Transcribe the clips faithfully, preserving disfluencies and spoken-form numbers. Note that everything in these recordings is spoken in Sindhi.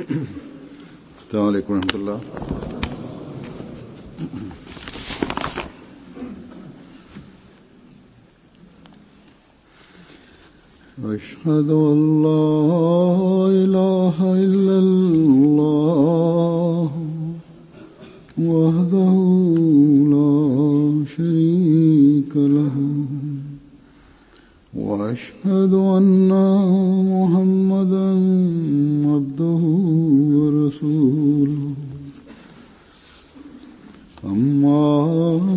السلام علیکم ورحمۃ اللہ۔ أشهد أن لا إله إلا الله وحده لا شريك له وأشهد أن محمدا عبده ورسوله أما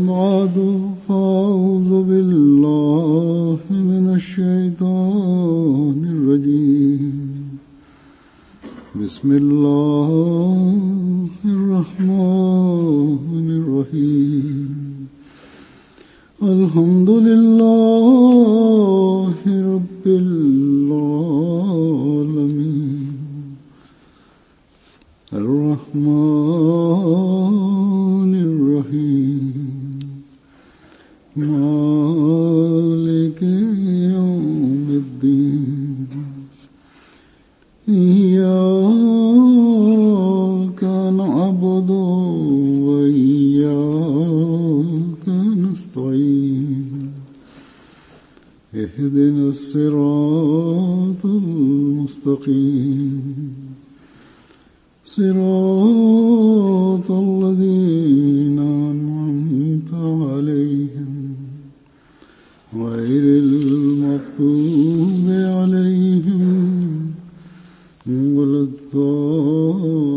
بعد فأعوذ بالله من الشيطان الرجيم بسم الله الرحمن الرحيم الحمد لله رب العالمين الرحمن الرحيم مالك يوم الدين إياك نعبد وإياك نستعين اهدنا الصراط المستقيم صراط الذين أنعمت عليهم غير المغضوب عليهم ولا الضالين۔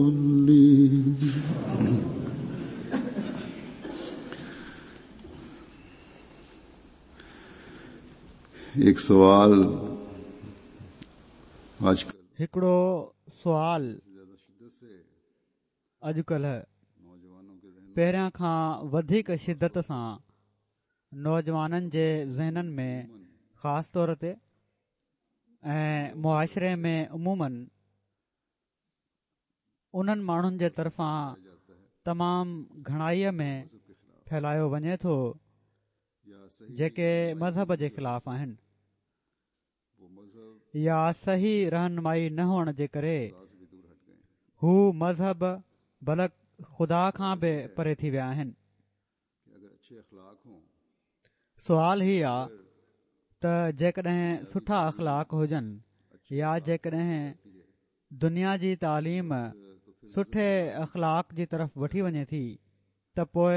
ایک سوال آج هڪڙو سوال اڄڪلهه پهريان کان وڌيڪ شدت سان نوجوانن جي ذهنن ۾ خاص طور تي ۽ معاشري ۾ عموماً انهن ماڻهن جي طرفان تمام گهڻائيءَ ۾ ڦهلايو وڃي ٿو جيڪي مذهب جي خلاف آهن يا صحيح رهنمائي نه هئڻ جي ڪري هو مذهب بلڪ خدا کان به پري ٿي ويا آهن۔ سوال هي آ ته جيڪڏهن سٺا اخلاق هجن يا جيڪڏهن دنيا جي تعليم سٺي اخلاق جي طرف وٺي وڃي ٿي ته پوءِ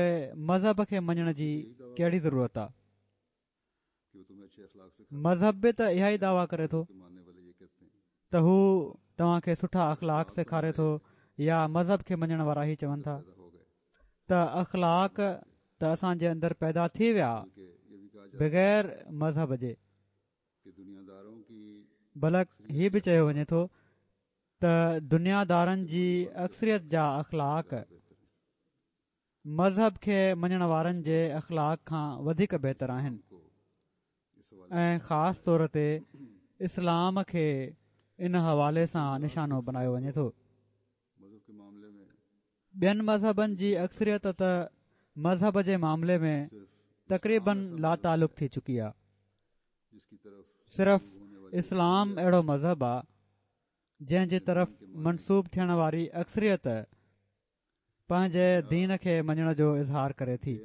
مذهب کي مڃڻ جي ڪهڙي ضرورت آ؟ مذهب به ته اها ئي دعويٰ ڪري ٿو ته هو توهان کي سٺا اخلاق سيکاري ٿو يا مذهب کي مڃڻ وارا ئي چون ٿا ته اخلاق ته اسان جي اندر پيدا ٿي ويا بغير مذهب جي۔ بلڪ هي به چيو وڃي ٿو ته دنيادارن جي اڪثريت جا اخلاق مذهب کي مڃڻ وارن جي اخلاق کان وڌيڪ بهتر آهن ۽ خاص طور تي اسلام کي ان حوالي سان نشانو بنايو وڃي ٿو۔ ٻين مذهبن جي اڪثريت ته مذهب جي معاملي ۾ تقريبن لاتعلق ٿي چڪي آهي۔ صرف اسلام اهڙو مذهب آهي جنهن جي طرف منسوب ٿيڻ واري اڪثريت پنهنجي دين کي مڃڻ جو اظهار ڪري ٿي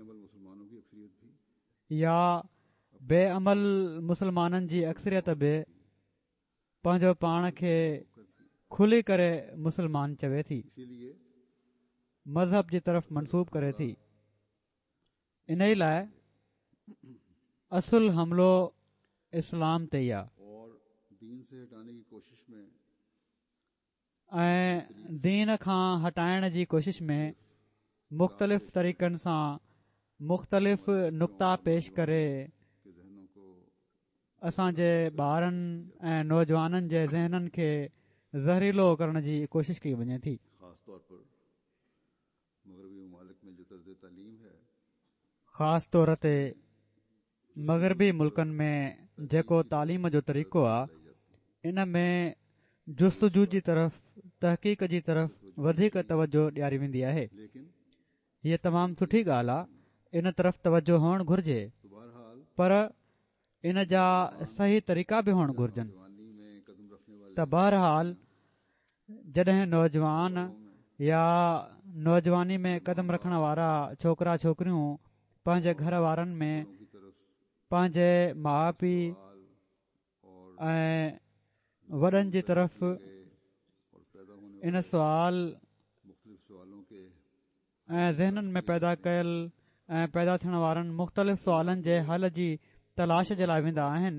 يا بي عمل مسلمانن جي اڪثريت به پنهنجو پاڻ کي کلي ڪري مسلمان چوي ٿي، مذهب جي طرف منسوب ڪري ٿي۔ ان ئي لاءِ اصل حملو اسلام تي ئي آهي ۽ دين کان هٽائڻ جي ڪوشش ۾ مختلف طريقن سان مختلف نقطا پيش ڪري اسان جي ٻارن ۽ نوجوانن جي ذهنن کي زهريلو ڪرڻ جي ڪوشش ڪئي وڃي ٿي۔ خاص طور تي مغربي ملڪن ۾ جيڪو تعليم جو طريقو آهي ان ۾ جستجو جي طرف، تحقيق جي طرف وڌيڪ توجه ڏياري ويندي آهي۔ هيءَ تمام سٺي ڳالهه آهي، ان طرف توجه هئڻ گهرجي، پر ان جا صحيح طريقا به هئڻ گهرجن۔ ته بهرحال جڏهن نوجوان يا نوجواني ۾ قدم رکڻ وارا ڇوڪرا ڇوڪريون پنهنجي گهر وارن ۾ پنهنجي ماءُ پيءُ ۽ وڏن جي طرف ان سوال ۽ ذهنن ۾ پيدا ڪيل ۽ پيدا ٿيڻ وارن مختلف سوالن جي حل جي تلاش جي لاءِ ويندا آهن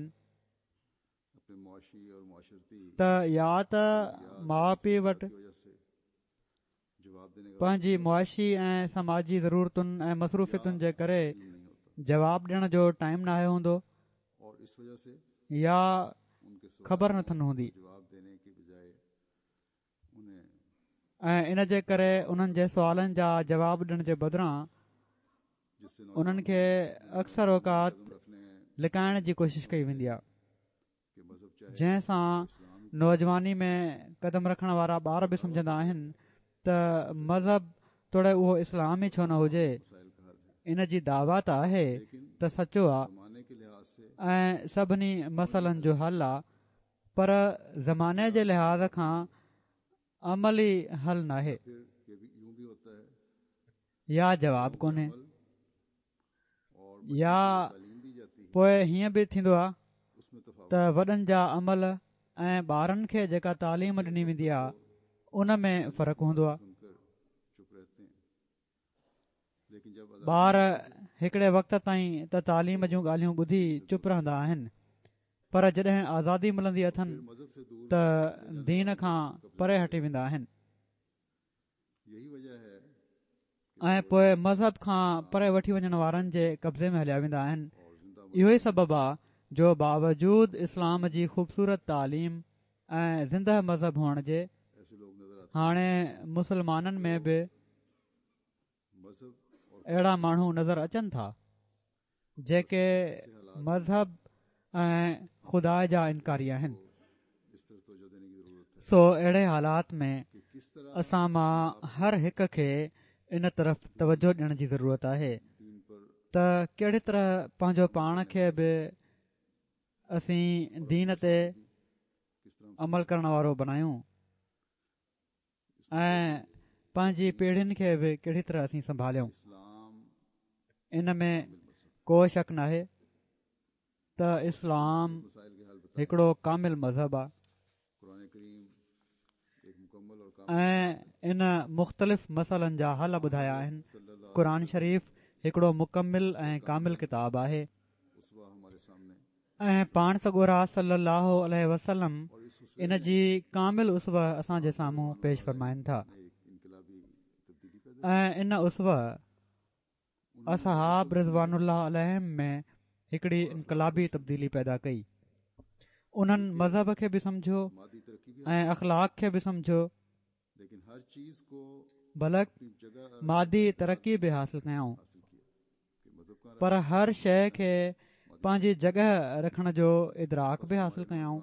ته يا ته ماءُ پيءُ وٽ پنهنجي معاشي ۽ سماجي ضرورتن ۽ مصروفيتن جي ڪري جواب ڏيڻ جو ٽائيم ناهي هوندو يا خبر نٿن هوندي ۽ ان جي ڪري انهن جي سوالن جا جواب ڏيڻ جي بدران انهن کي اڪثر اوقات لڪائڻ جي ڪوشش ڪئي ويندي آهي، جنهن سان نوجواني ۾ قدم رکڻ وارا ٻار به سمجهندا آهن ته مذهب توڙي اهو اسلام ئي ڇو نه هجي، ان جي دعويٰ ته آهي ته سچو آهي ۽ سڀني مسئلن جو حل آهي، پر زماني جي لحاظ کان عملي حل ناهي يا جواب ڪونهي. يا پوءِ هيئن به ٿيندو آهي ته وڏن جا عمل ۽ ٻارن کي جيڪا تعليم ڏني ويندي آهي ان ۾ فرق هوندو آهي. ٻار هڪڙي وقت تائين ته تعليم جون ڳالهيون ٻڌي چپ رهندا آهن، پر جڏهن آزادي ملندي اٿن ته دين کان پري هٽي ويندا آهن ۽ پوءِ مذهب کان پري وٺي وڃڻ وارن جي قبضي ۾ هليا ويندا آهن. اهو ئي سبب آهي جو باوجود اسلام جي خوبصورت تعليم ۽ زنده مذهب هئڻ جي هاڻي مسلمانن ۾ به اهڙا ماڻهو نظر اچن ٿا جيڪي مذهب ۽ خدا جا انڪاري آهن. سو اهڙي حالات ۾ اسان مان هر هڪ کي ان طرف توجه ڏيڻ جي ضرورت آهي ته ڪهڙي طرح پنهنجو پاڻ کي به اسين دين تي عمل ڪرڻ وارو بڻايون ۽ پنهنجي پيڙهين کي به ڪهڙي طرح اسين سنڀاليون. ان ۾ ڪو شڪ ناهي ته اسلام هڪڙو ڪامل مذهب آهي ۽ ان مختلف مسئلن جا حل ٻڌايا آهن. قرآن شريف هڪڙو مڪمل ۽ ڪامل ڪتاب آهي ۽ پاڻ سڳورا صلي الله عليه وسلم ان جي ڪامل اسوه اسان جي سامهون پيش فرمائن ٿا ۽ ان اسوه اصحاب رضوان الله عليهم ۾ هڪڙي انقلابي تبديلي پيدا ڪئي. انهن مذهب کي به سمجهيو ۽ اخلاق کي به سمجهيو، بلڪ مادي ترقي به حاصل ڪيائون، پر هر شيءِ کي پنهنجي جڳهه رکڻ جو ادراڪ به حاصل ڪيائون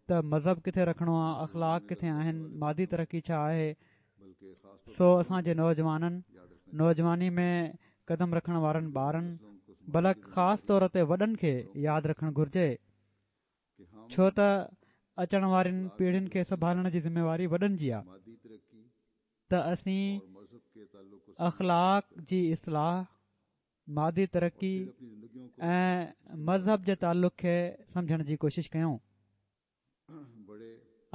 ته مذهب ڪٿي رکڻو آهي، اخلاق ڪٿي آهن، مادي ترقي ڇا آهي. سو اسان جي نوجوانن، نوجواني ۾ قدم رکڻ وارن ٻارن، بلڪ خاص طور تي وڏن کي ياد رکڻ گهرجي، ڇو ته اچڻ وارين پيڙهين کي سنڀالڻ جي ذميواري وڏن جي آهي ته اسين اخلاق جي اصلاح، مادي ترقي ۽ مذهب جي تعلق کي سمجهڻ جي ڪوشش ڪيون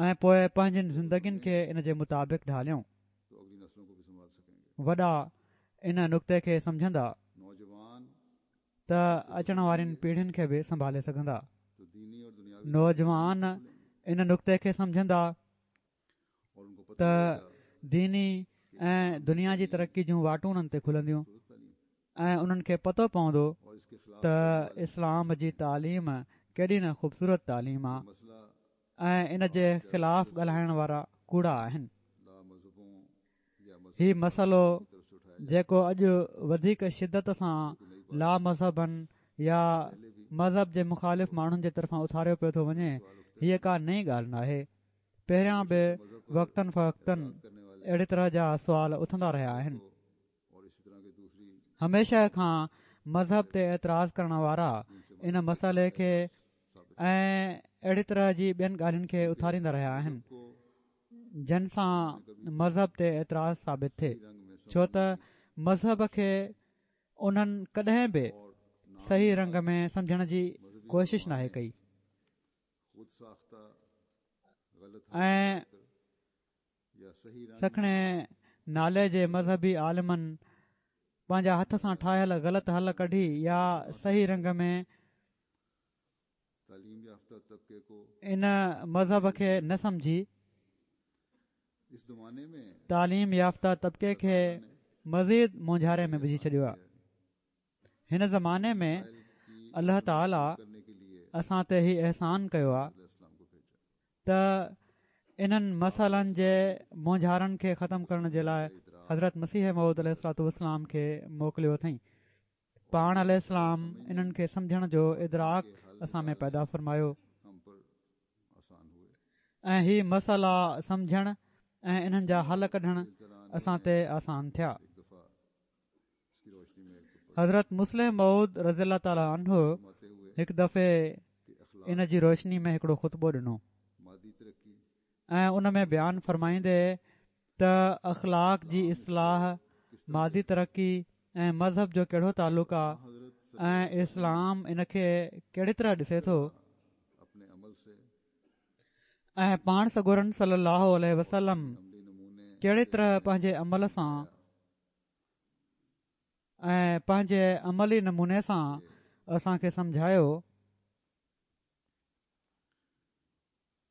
۽ پوءِ پنهنجين زندگين کي ان جي مطابق ڍاليون. وڏا ان نقطي کي سمجهندا ته اچڻ وارين پيڙهين کي به سنڀالي سگهندا. نوجوان ان نقطي کي سمجهندا ته ديني ۽ دنيا جي ترقي جون واٽون انهن تي کلنديون ۽ انهن کي پتو پوندو ته اسلام جي تعليم ڪيڏي نه خوبصورت تعليم آهي ۽ ان جي خلاف ڳالهائڻ وارا ڪوڙا آهن. هي مسئلو جيڪو اڄ وڌيڪ شدت سان لا مذهبن يا مذهب جي مخالف ماڻهن جي طرفان اٿاريو پيو ٿو وڃي، هيءَ ڪا نئين ڳالهه ناهي. پهريان به وقتن فوقتن اهڙي طرح جا سوال اٿندا رهيا آهن. هميشه کان مذهب تي اعتراض ڪرڻ وارا ان مسئلي کي ۽ اهڙي طرح جي ٻين ڳالهين کي اٿاريندا رهيا آهن، جن سان مذهب تي اعتراض ثابت ٿئي، ڇو ته مذهب کي انهن ڪڏهن به صحيح رنگ ۾ سمجهڻ جي ڪوشش ناهي ڪئي ۽ سکڻي نالي جي مذهبي عالمن پنهنجا هٿ سان ٺاهيل غلط حل ڪڍي يا صحيح رنگ ۾ ان مذهب کي نه سمجهي تعليم يافته طبقي کي مزيد مونجهاري ۾ وجهي ڇڏيو آهي. هن زماني ۾ الله تعاليٰ اسان تي هي احسان ڪيو آهي ته انهن مسئلن جي مونجهارن کي ختم ڪرڻ جي لاءِ حضرت مسيح موعود عليه الصلوة والسلام کي موڪليو اٿئين. پاڻ عليه السلام انهن کي سمجهڻ جو ادراڪ اسان ۾ پيدا فرمايو ۽ هي مسئلا سمجهڻ ۽ انهن جا حل ڪڍڻ اسان تي آسان ٿيا. حضرت مصلح موعود رضي الله تعاليٰ عنه هڪ دفعي ان جي روشني ۾ هڪڙو خطبو ڏنو ۽ ان ۾ بيان فرمائيندي ته اخلاق جي اصلاح، مادي ترقي ۽ مذهب جو ڪهڙو تعلق آهي ۽ اسلام ان کي ڪهڙي طرح ڏسي ٿو ۽ پاڻ سڳورن صلي الله عليه وسلم ڪهڙي طرح پنهنجي عمل سان ۽ پنهنجي عملي نموني سان اسان کي سمجهايو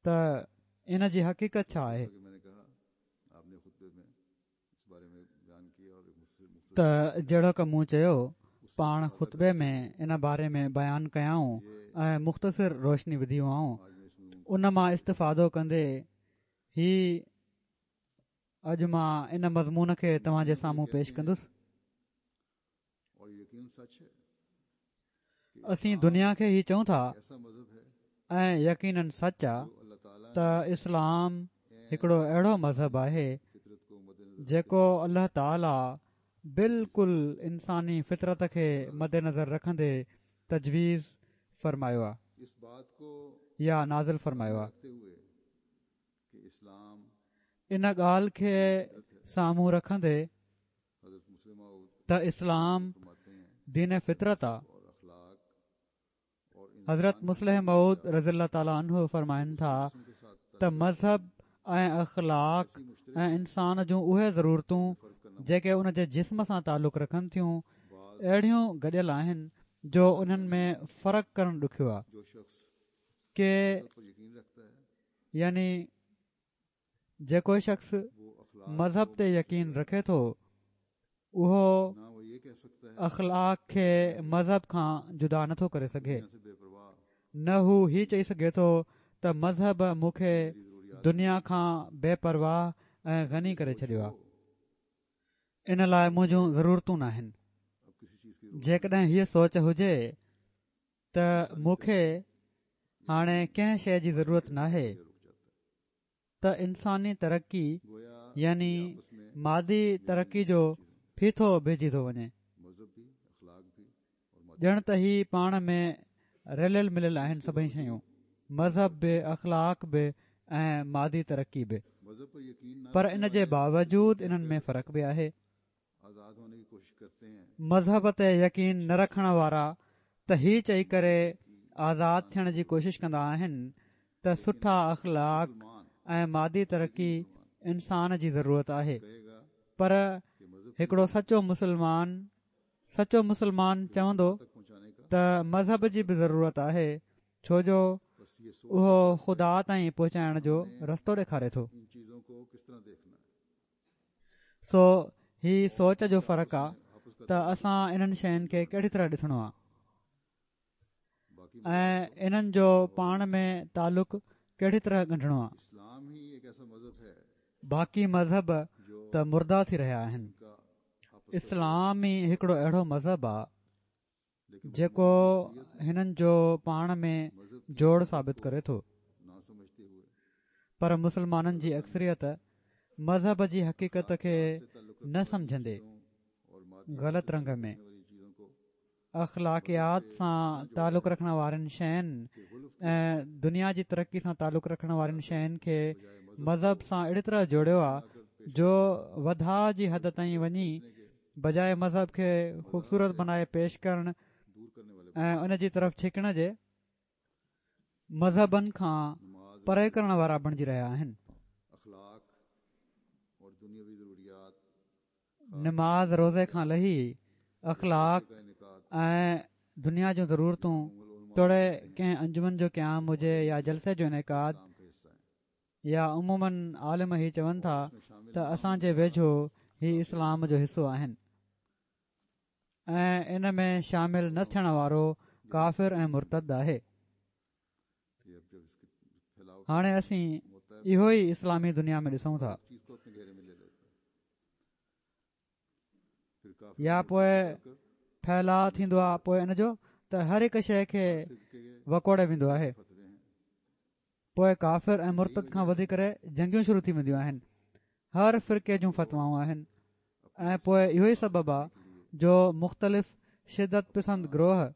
ته ان جي حقيقت ڇا آهي. ته جهڙوڪ مون چيو، پاڻ خطبي ۾ ان باري ۾ بيان ڪيائون ۽ مختصر روشني وڌي هئائون. ان مان استفادو ڪندي هي اڄ مان ان مضمون کي توهان جي سامهون پيش ڪندس. اسين دنيا کي هي چئون ٿا ۽ يقينن سچ آ ته اسلام هڪڙو اهڙو مذهب آهي جيڪو الله تعاليٰ بلڪل انساني فطرت کي مدنظر رکندي تجويز فرمايو آ يا نازل فرمايو آ. ان ڳالهه کي سامهون رکندي ته اسلام دين فطرت آ. حضرت مصلح موعود رضي الله تعاليٰ عنه فرمائن ٿا ته مذهب ۽ اخلاق ۽ انسان جون اهي ضرورتون جيڪي ان جي جسم سان تعلق رکن ٿيون اهڙيون گڏيل آهن جو انهن ۾ فرق ڪرڻ ڏکيو آهي. ڪي يعني جيڪو شخص مذهب تي يقين رکي ٿو اهو اخلاق کي مذهب کان جدا نٿو ڪري سگهي، نه هو هي چئي سگهي ٿو ته مذهب مون کي دنيا کان بي پرواهه ۽ غني ڪري ڇڏيو آهي، ان لاءِ منهنجون ضرورتون ناهن. جيڪڏهن هيءَ سوچ هجي ته مون کي هاڻي ڪنهن شيءِ جي ضرورت ناهي ته انساني ترقي يعني مادي ترقي جو ڦيٿو بيهجي ٿو وڃي، ڄڻ ته هي پاڻ ۾ رليل مليل آهن سڀئي شيون، مذهب به، اخلاق به ۽ مادي ترقي به. پر ان جي باوجود انهن ۾ فرق به آهي. مذهب تي يقين نه رکڻ وارا ته هي چئي ڪري آزاد ٿيڻ جي ڪوشش ڪندا آهن ته سٺا اخلاق ۽ مادي ترقي انسان جي ضرورت آهي، پر هڪڙو سچو مسلمان سچو مسلمان چوندو ته مذهب جي به ضرورت آهي، ڇو جو اهو خدا تائين پهچائڻ جو رستو ڏيکاري ٿو. سو هي سوچ جو فرق آ ته اسان انهن شين کي ڪهڙي طرح ڏسڻو آ ۽ انهن جو پاڻ ۾ تعلق ڪهڙي طرح ڳنڍڻو آ. باقي مذهب ته مرده ٿي رهيا آهن. اسلام ئي هڪڙو اهڙو مذهب آ جيڪو هنن جو پاڻ ۾ جوڙ ثابت ڪري ٿو. پر مسلمانن جي اڪثريت مذهب جي حقيقت کي نه سمجهندي غلط رنگ ۾ اخلاقيات سان تعلق رکڻ وارين شين ۽ دنيا جي ترقي سان تعلق رکڻ وارين شين کي مذهب سان اهڙي طرح جوڙيو آهي جو وڌاء جي حد تائين وڃي بجاءِ مذهب کي خوبصورت بنائي پيش ڪرڻ ۽ ان جي طرف ڇڪڻ جي مذهبن کان پري ڪرڻ وارا بڻجي رهيا آهن. نماز روزي کان لهي اخلاق ۽ دنيا جون ضرورتون توڙي ڪنهن انجمن جو قيام هجي يا جلسي جو انعقاد يا عموماً عالم هي چون ٿا ته اسان جي ويجهو هي اسلام جو حصو آهن ۽ ان ۾ شامل نه ٿيڻ وارو ڪافر ۽ مرتد آهي. هاڻي اسين اهو ئي اسلامي دنيا ۾ ڏسون ٿا. يا پوءِ ڦهلاءُ ٿيندو آهي پوءِ ان جو ته هر هڪ شيءِ کي وڪوڙي ويندو آهي. پوءِ ڪافر ۽ مرتد کان وڌي ڪري جنگيون شروع ٿي وينديون آهن. هر فرقي جون فتوائون آهن ۽ پوءِ اهو ئي سبب آهي جو مختلف شدت پسند گروهه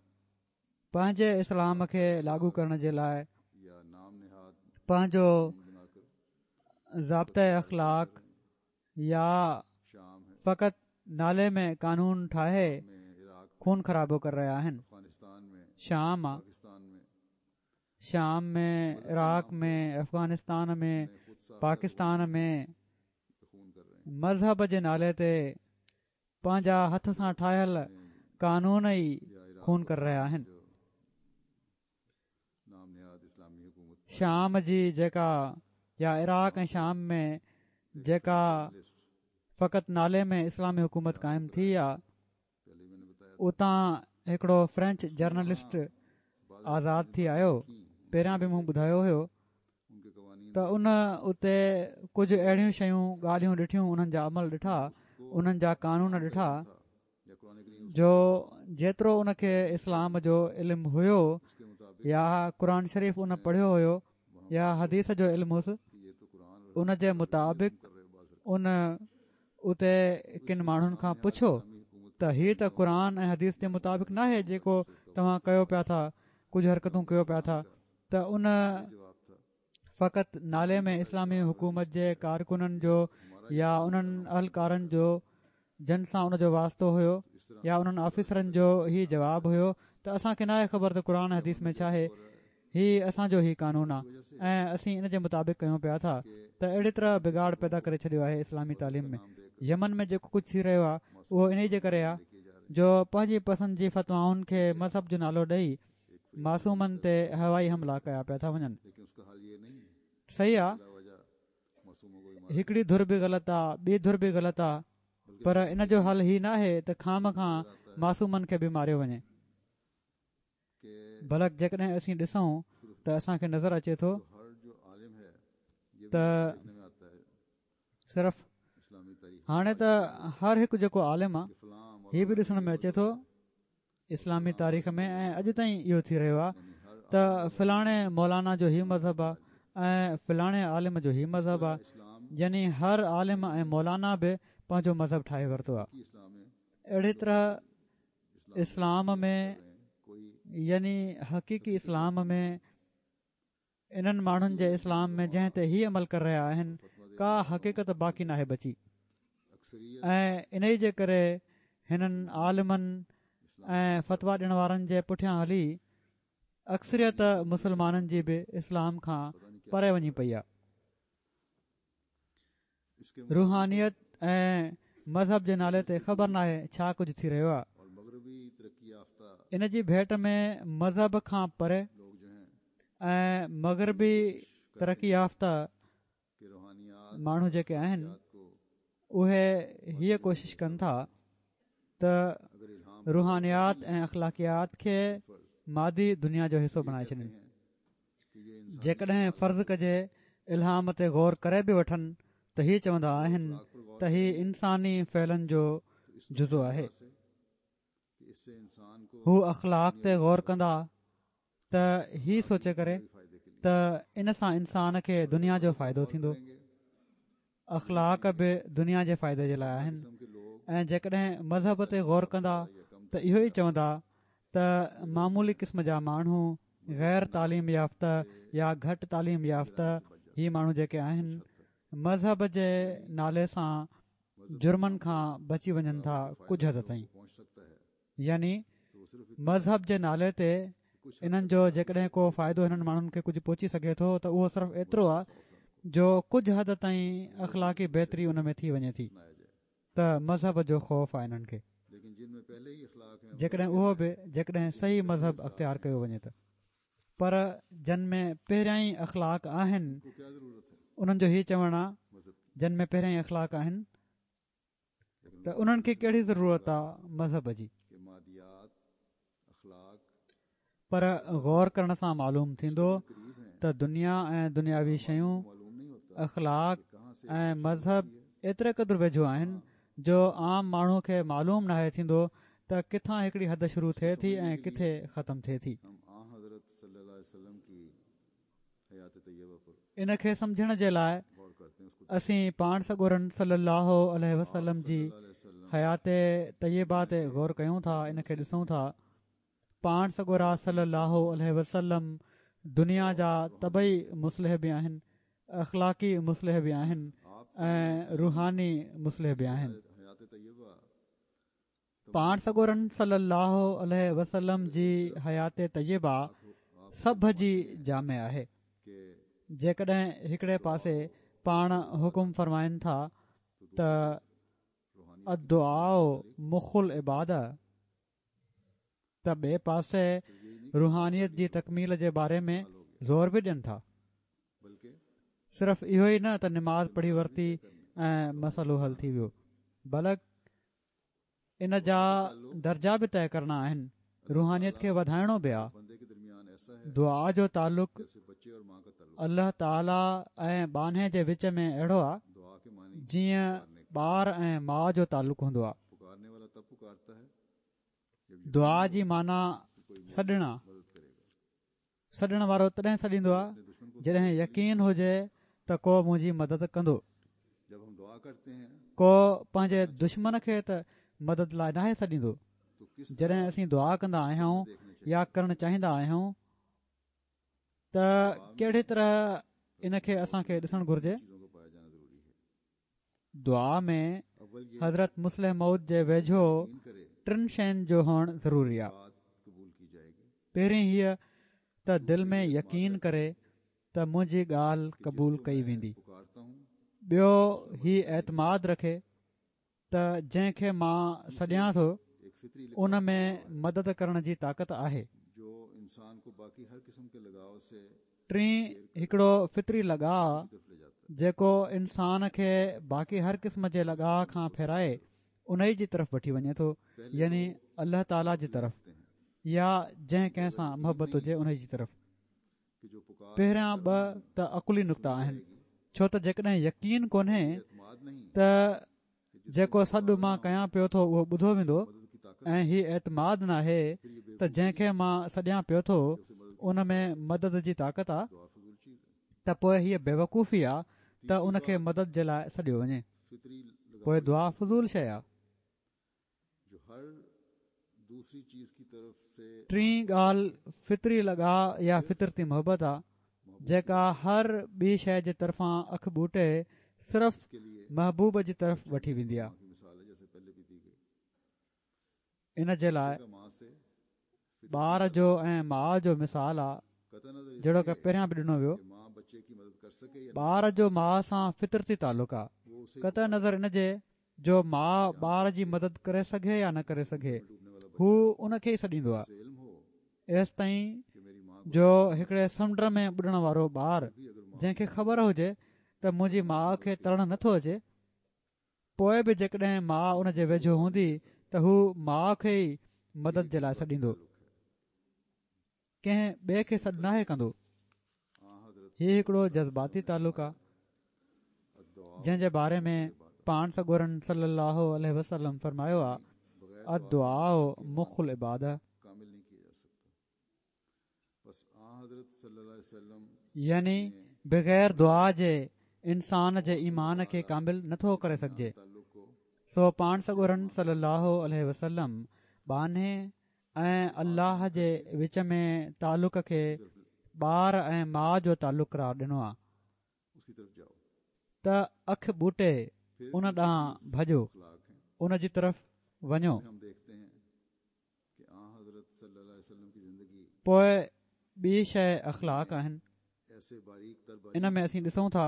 پنهنجي اسلام کي لاڳو ڪرڻ جي لاءِ پنهنجو ضابطه اخلاق يا فقط نالي ۾ قانون ٺاهي خون خرابو ڪري رهيا آهن. شام شام ۾ عراق ۾ افغانستان ۾ پاڪستان ۾ مذهب جي نالي تي پنهنجا هٿ سان ٺاهيل قانون ئي خون ڪري رهيا آهن. شام جي جيڪا يا عراق ۽ شام ۾ جيڪا فقط نالي ۾ اسلامي حڪومت قائم ٿي آهي، اتان هڪڙو فرينچ جرنلسٽ آزاد ٿي آيو. پهريان به مون ٻڌايو هيو ته ان اتي ڪجهه اهڙيون شيون ڳالهيون ڏٺيون، انهن جا عمل ڏٺا، انهن جا قانون ڏٺا جو جيترو ان کي اسلام جو علم هيو يا قرآن شريف ان پڙهيو هيو يا حديث جو علم هوس، ان جي مطابق ان اتي ڪن ماڻهن کان پڇيو ته هي ته قرآن ۽ حديث جي مطابق ناهي جيڪو توهان ڪيو پيا ٿا، ڪجهه حرڪتون ڪيو پيا ٿا. ته ان فقط نالي ۾ اسلامي حڪومت جي ڪارڪنن جو يا انهن اهلڪارن جو جن سان ان جو واسطو هيو يا انهن آفيسرن جو هي جواب هيو ته اسان کي ناهي خبر ته قرآن حديث ۾ ڇا آهي، هي اسان جو هي قانون آهي ۽ اسين ان جي مطابق ڪيون پيا ٿا. ته اهڙي طرح بگاڙ پيدا ڪري ڇڏيو آهي اسلامي تعليم ۾. يمن ۾ جيڪو ڪجهه ٿي رهيو آهي اهو انهي جي ڪري آهي جو پنهنجي پسند جي فتوائن کي مذهب جو نالو ڏئي معصومن تي هوائي حملا ڪيا پيا ٿا وڃن. صحيح آهي، هڪڙي ڌر به غلط آهي، ٻي ڌر به غلط آهي، پر ان جو حل هي ناهي ته خام کان معصومن کي به ماريو وڃي. بلڪ جيڪڏهن اسين ڏسون ته اسان کي نظر اچي ٿو ته صرف هاڻي ته هر هڪ جيڪو عالم آهي هي به ڏسڻ ۾ اچي ٿو اسلامي تاريخ ۾ ۽ اڄ تائين اهو ٿي رهيو آهي ته فلاڻي مولانا جو هي مذهب آهي ۽ فلاڻي عالم جو هي مذهب آهي، يعني هر عالم ۽ مولانا به پنهنجو مذهب ٺاهي ورتو آهي. اهڙي طرح اسلام ۾ يعني حقيقي اسلام ۾ انهن ماڻهن جي اسلام ۾ جنهن تي هي عمل ڪري رهيا آهن ڪا حقيقت باقي ناهي بچي ۽ انهي جي ڪري هنن عالمن ۽ فتويٰ ڏيڻ وارن جي پٺيان هلي اڪثريت مسلمانن جي به اسلام کان پري وڃي پئي آهي. روحانيت ۽ مذهب جي نالي تي خبر ناهي ڇا ڪجهه ٿي رهيو آهي. ان جي ڀيٽ ۾ مذهب کان پري ۽ مغربي ترقي يافته ماڻهو جيڪي آهن اهي هيءَ ڪوشش ڪن ٿا ته روحانيات ۽ اخلاقيات کي مادي دنيا جو حصو بڻائي ڇڏين. جيڪڏهن فرض ڪجي الهام تي غور ڪري به وٺن ته هي چوندا آهن ته هي انساني فعلن جو جزو آهي. هو اخلاق تي غور ڪندا ته هي سوچي ڪري ته ان سان انسان کي دنيا جو فائدو ٿيندو. اخلاق به دنيا جي فائدي جي لاءِ آهن ۽ جيڪڏهن مذهب تي غور ڪندا ته اهو ئي چوندا ته معمولي قسم جا ماڻهو، غير تعليم يافته يا گهٽ تعليم يافته هي ماڻهو جيڪي آهن مذهب جي نالي سان جرمن کان بچي وڃن ٿا ڪجهه حد تائين. يعني مذهب جي نالي تي انهن جو جيڪڏهن ڪو فائدو هنن ماڻهن کي ڪجهه پهچي سگهي ٿو ته اهو صرف ايترو آهي جو ڪجهه حد تائين اخلاقي بهتري ان ۾ ٿي وڃي ٿي ته مذهب جو خوف آهي انهن کي، جيڪڏهن اهو به جيڪڏهن صحيح مذهب اختيار ڪيو وڃي ته. پر جن ۾ پهريان ئي اخلاق آهن انهن جو هي چوڻ آهي جن ۾ پهريان ئي اخلاق آهن ته انهن کي ڪهڙي ضرورت آهي مذهب جي. پر غور ڪرڻ سان معلوم ٿيندو ته دنيا ۽ دنياوي شيون، اخلاق ۽ مذهب ايتري قدر ويجهو آهن جو عام ماڻهو کي معلوم ناهي ٿيندو ته ڪٿان هڪڙي حد شروع ٿئي ٿي ۽ ڪٿي ختم ٿئي ٿي. ان کي سمجهڻ جي لاءِ اسين پاڻ سڳورن صلي الله عليه وسلم جي حيات طيبه تي غور ڪيون ٿا، ان کي ڏسون ٿا. پاڻ سڳورا صلي الله عليه وسلم دنيا جا طبعي مصلح به آهن، اخلاقي مصلح به آهن ۽ روحاني مصلح به آهن. پاڻ سڳورن صلي الله عليه وسلم جي حيات طيبه سڀ جي جامع آهي. جيڪڏهن هڪڙي پاسي پاڻ حڪم فرمائن ٿا ته الدعاء مخ العباده، ته ٻئي پاسي روحانيت جي تڪميل جي باري ۾ زور به ڏين ٿا. صرف اهو ئي نه ته نماز پڙهي ورتي ۽ مسئلو حل ٿي ويو، بلڪ ان جا درجا به طئي ڪرڻا آهن، روحانيت کي وڌائڻو به آهي. دعا جو تعلق الله تعاليٰ ۽ ٻانهي جي وچ ۾ اهڙو آهي جيئن ٻار ۽ ماءُ جو تعلق هوندو آهي. دعا جي معنيٰ سڏڻ آهي. سڏڻ وارو تڏهن سڏيندو آهي جڏهن يقين هجي ته ڪو منهنجي مدد ڪندو. ڪو پنهنجي دشمن کي ته مدد لاءِ ناهي سڏيندو. جڏهن اسين دعا ڪندا آهيون يا ڪرڻ چاهيندا آهيون ته ڪهڙي طرح ان کي اسان کي ڏسڻ گهرجي. دعا ۾ حضرت مصلح موعود جي ويجهو ٽن شين جو هئڻ ضروري آهي. پهرين هيءَ ته دل ۾ يقين ڪري ته منهنجي ڳالهه قبول ڪئي ويندي. ٻيو هي اعتماد رکي ته جنهن کي مان سڏيان ٿو ان ۾ مدد ڪرڻ جي طاقت آهي. ٽين هڪڙو فطري لڳاءُ جيڪو انسان کي باقي هر قسم جي لڳاءُ کان ڦيرائي انهي جي طرف وٺي وڃي ٿو، يعني الله تعاليٰ جي طرف يا جنهن ڪنهن سان محبت هجي انهي جي طرف. پهريان ٻه ته عقلي نقطا آهن، ڇو ته جيڪڏهن يقين ڪونهي ته جيڪو سڏ مان ڪيان پيو ٿو اهو ٻڌو ويندو ۽ هي اعتماد ناهي ته جنهن کي مان سڏيان پيو ٿو ان ۾ مدد جي طاقت آ، ته پوءِ هيءَ بيوقوفي آ ته ان کي مدد جي لاءِ سڏيو وڃي. پوءِ دعا فضول شيءِ آ. ٽين ڳالهه فطري لڳاءُ يا فطرتي محبت آ، جيڪا هر ٻي شيءِ جي طرفان اک ٻوٽي صرف محبوب جي طرف وٺي ويندي آ. ان جي لاءِ ٻار جو ۽ ماءُ جو مثال آ، جهڙوڪ پهريان به ڏنو ويو. ٻار جو ماءُ سان فطرتي تعلق آ، قطع نظر ان جي جو ماءُ ٻار جي مدد ڪري سگهي يا نه ڪري سگهي، هو ان کي ئي سڏيندو آ. ايستائين جو هڪڙي سمنڊ ۾ ٻڏڻ وارو ٻار جنهن کي خبر هجي ته منهنجي ماءُ کي ترڻ نٿو اچي، پوءِ به جيڪڏهن ماءُ ان جي ويجهو هوندي ته هو ماءُ کي ئي مدد جي لاءِ سڏيندو، ڪنهن ٻئي کي سڏ ناهي ڪندو. هي هڪڙو جذباتي تعلق آ جنهن جي باري ۾ پاڻ سڳورن صلي الله عليه وسلم فرمايو آ، الدعاء مخ العباده، يعني بغير دعا جي انسان جي ايمان کي ڪامل نٿو ڪري سگهجي. سو پاڻ سڳورن صلي الله عليه وسلم ٻانهي ۽ الله جي وچ ۾ تعلق کي ٻار ۽ ماءُ جو تعلق قرار ڏنو آ. ته اک ٻوٽي ان ڏانهن ڀڄو، ان جي طرف وڃو. پوءِ ٻي شيءِ اخلاق آهن. ان ۾ اسين ڏسون ٿا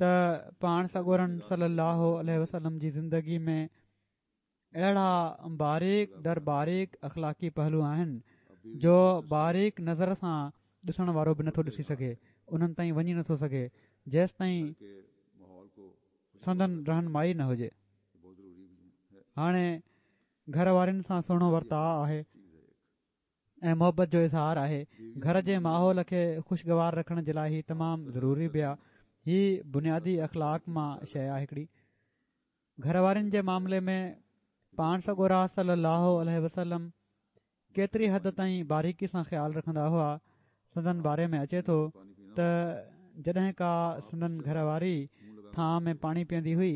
ته پاڻ سڳورن صلي الله عليه وسلم جي زندگي ۾ اهڙا باريڪ در باريڪ اخلاقي پهلو آهن جو باريڪ نظر سان ڏسڻ وارو به نٿو ڏسي سگهي، انهن تائين وڃي نٿو سگهي جيستائين سندن رهنمائي نه هجي. هاڻي گهر وارن سان سهڻو ورتاءُ آهي ۽ محبت جو اظهار آهي. گهر جي ماحول کي خوشگوار رکڻ جي لاءِ هي تمام ضروري به آهي. هي بنيادي اخلاق مان شيءِ آهي هڪڙي. گهر وارن جي معاملي ۾ پاڻ سڳورا صلي الله عليه وسلم ڪيتري حد تائين باريڪي سان خيال رکندا هئا. سندن باري ۾ اچي ٿو ته جڏهن ڪا سندن گهر واري ٿانءَ ۾ پاڻي پيئندي هئي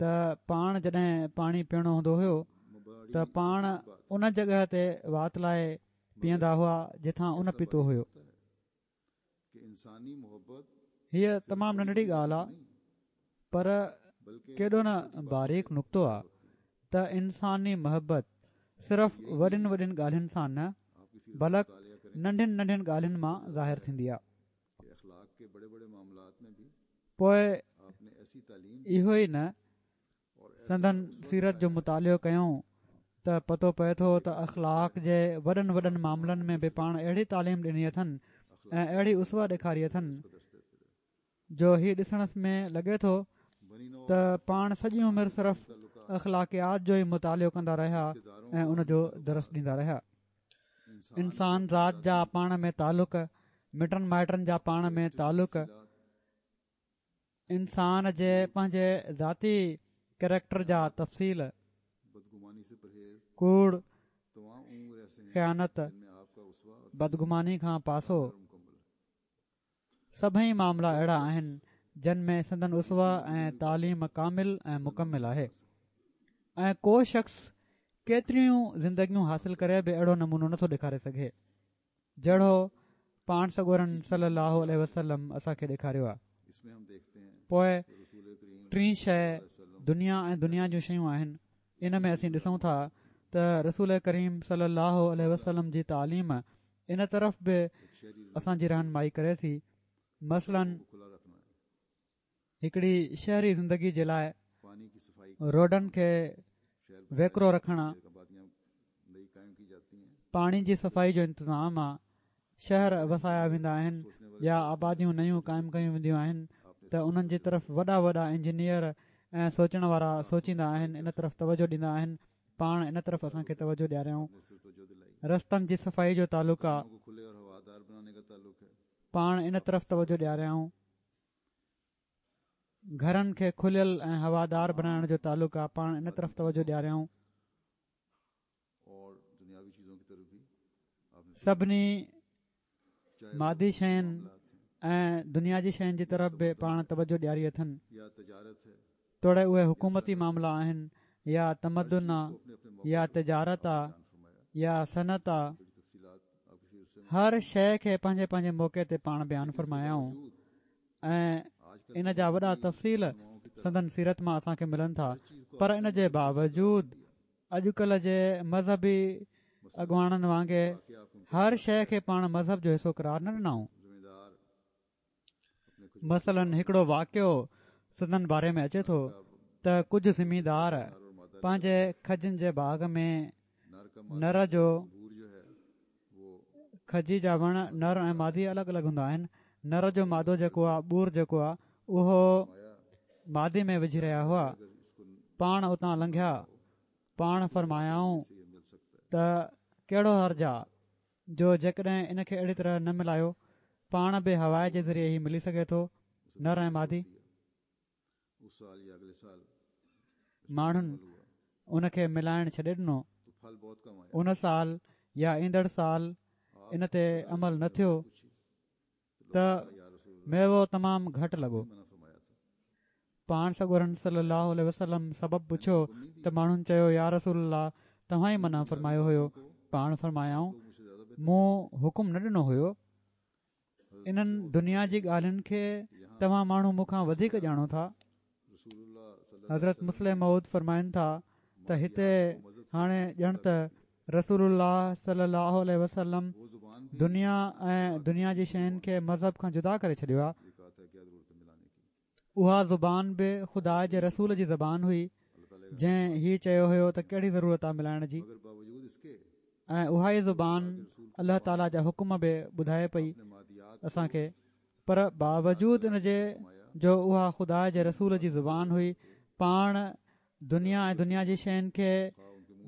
ته پاڻ جڏهن پاڻي پيئڻو هوندو هيو ته پاڻ ان جڳهه تي وات لاءِ پيئندا هئا جتان ان پيتو هيو. هيءَ تمام ننڍڙي ڳالهه آهي پر ڪيڏو نه باريڪ نقطو آهي ته انساني محبت صرف وڏين وڏين ڳالهين سان نه بلڪ ننڍين ننڍين ڳالهين مان ظاهر ٿيندي آهي. پوءِ اهو ئي نه سندن سيرت جو مطالعو ڪيون ته پتو پئي ٿو ته اخلاق جي وڏن وڏن معاملن ۾ به پاڻ اهڙي تعليم ڏني اٿن ۽ اهڙي اسوه ڏيکاري اٿن جو هي ڏسڻ ۾ لڳي ٿو ته پاڻ سڄي عمر صرف اخلاقيات جو ئي مطالعو ڪندا رهيا ۽ ان جو درس ڏيندا رهيا. انسان ذات جا پاڻ ۾ تعلق، مٽن مائٽن جا پاڻ ۾ تعلق، انسان جي پنهنجي ذاتي ڪريڪٽر جا تفصيل، ڪوڙ، خيانت، بدگماني کان پاسو، سڀئي معاملا اهڙا آهن جن ۾ سندن اسوه ۽ تعليم ڪامل ۽ مڪمل آهي ۽ ڪو شخص ڪيتريون زندگيون حاصل ڪري به اهڙو نمونو نٿو ڏيکاري سگهي جهڙو پاڻ سڳورن صلي الله عليه وسلم اسان کي ڏيکاريو آهي. پوءِ ٽين شيءِ دنيا ۽ دنيا جون شيون آهن. ان ۾ اسين ڏسون ٿا ته رسول ڪريم صلي الله عليه وسلم جي تعليم ان طرف به اسان جي رهنمائي ڪري ٿي. مثلاً هڪڙي شهري زندگي جي لاءِ روڊن کي ويڪرو رکڻ، پاڻي جي صفائي جو انتظام آهي، شهر وسايا ويندا آهن يا آباديون نيون قائم ڪيون وينديون آهن ته انهن جي طرف وڏا وڏا انجنيئر ۽ سوچڻ وارا سوچيندا آهن، ان طرف توجه ڏيندا آهن. پاڻ ان طرف اسان کي توجه ڏياريائون. رستن جي صفائي جو تعلق آهي، پاڻ ان طرف توجه ڏياريائون. گهرن کي کليل ۽ هوادار بڻائڻ جو تعلق آهي، پاڻ ان طرف توجه ڏياريائون. سڀني مادي شين ۽ دنيا جي شين جي طرف به پاڻ توجه ڏياري اٿن، توڙي اهي حڪومتي معاملا آهن يا تمدن آهي يا تجارت آهي يا صنعت آهي، هر شيءِ کي پنهنجي پنهنجي موقعي تي پاڻ بيان فرمايائون ۽ ان جا وڏا تفصيل سندن سيرت مان اسان کي ملن ٿا. پر ان جي باوجود اڄڪلهه جي مذهبي اڳواڻن وانگي هر شيءِ کي پاڻ مذهب جو حصو قرار نه ڏنائون. مثلاً هڪڙو واقعو سندن باري ۾ اچي ٿو ته ڪجهه زميندار پنهنجي کجين جي باغ ۾ نر جو کجي جا وڻ نر ۽ مادي الڳ الڳ هوندا آهن. نر جو مادو جيڪو آهي، ٻور جيڪو آهي، اهو مادي ۾ وجهي رهيا هئا. پاڻ اتان لنگهيا، پاڻ فرمايائون ته ڪهڙو حرج آهي جو جيڪڏهن ان کي اهڙي طرح نه ملايو، پاڻ به هوا جي ذريعي ئي ملي سگهي ٿو نر ۽ مادي. ماڻهن ان کي ملائڻ ڇڏي ڏنو. ان سال يا ايندڙ سال ان تي عمل نه ٿيو ته ميوو تمام گهٽ لڳو. پاڻ سڳورن صلي الله عليه وسلم سبب پڇيو ته ماڻهن چيو يا رسول الله توهان ئي منع فرمايو هيو. پاڻ فرمايائون مون حڪم نه ڏنو هيو. انهن دنيا جي ڳالهين کي توهان ماڻهو مون کان وڌيڪ ڄاڻو ٿا. حضرت مصلح موعود فرمائن ٿا ته هتي هاڻي ڄڻ ته رسول الله صلي الله عليه وسلم دنيا ۽ دنيا جي شين کي مذهب کان جدا ڪري ڇڏيو آهي. اها زبان به خدا جي رسول جي زبان هئي جنهن هي چيو هيو ته ڪهڙي ضرورت آهي ملائڻ جي، ۽ اها ئي زبان الله تعاليٰ جا حڪم به ٻڌائي پئي اسان کي. پر باوجود ان جي جو اها خدا جي رسول جي زبان هئي، پاڻ دنيا ۽ دنيا جي شين کي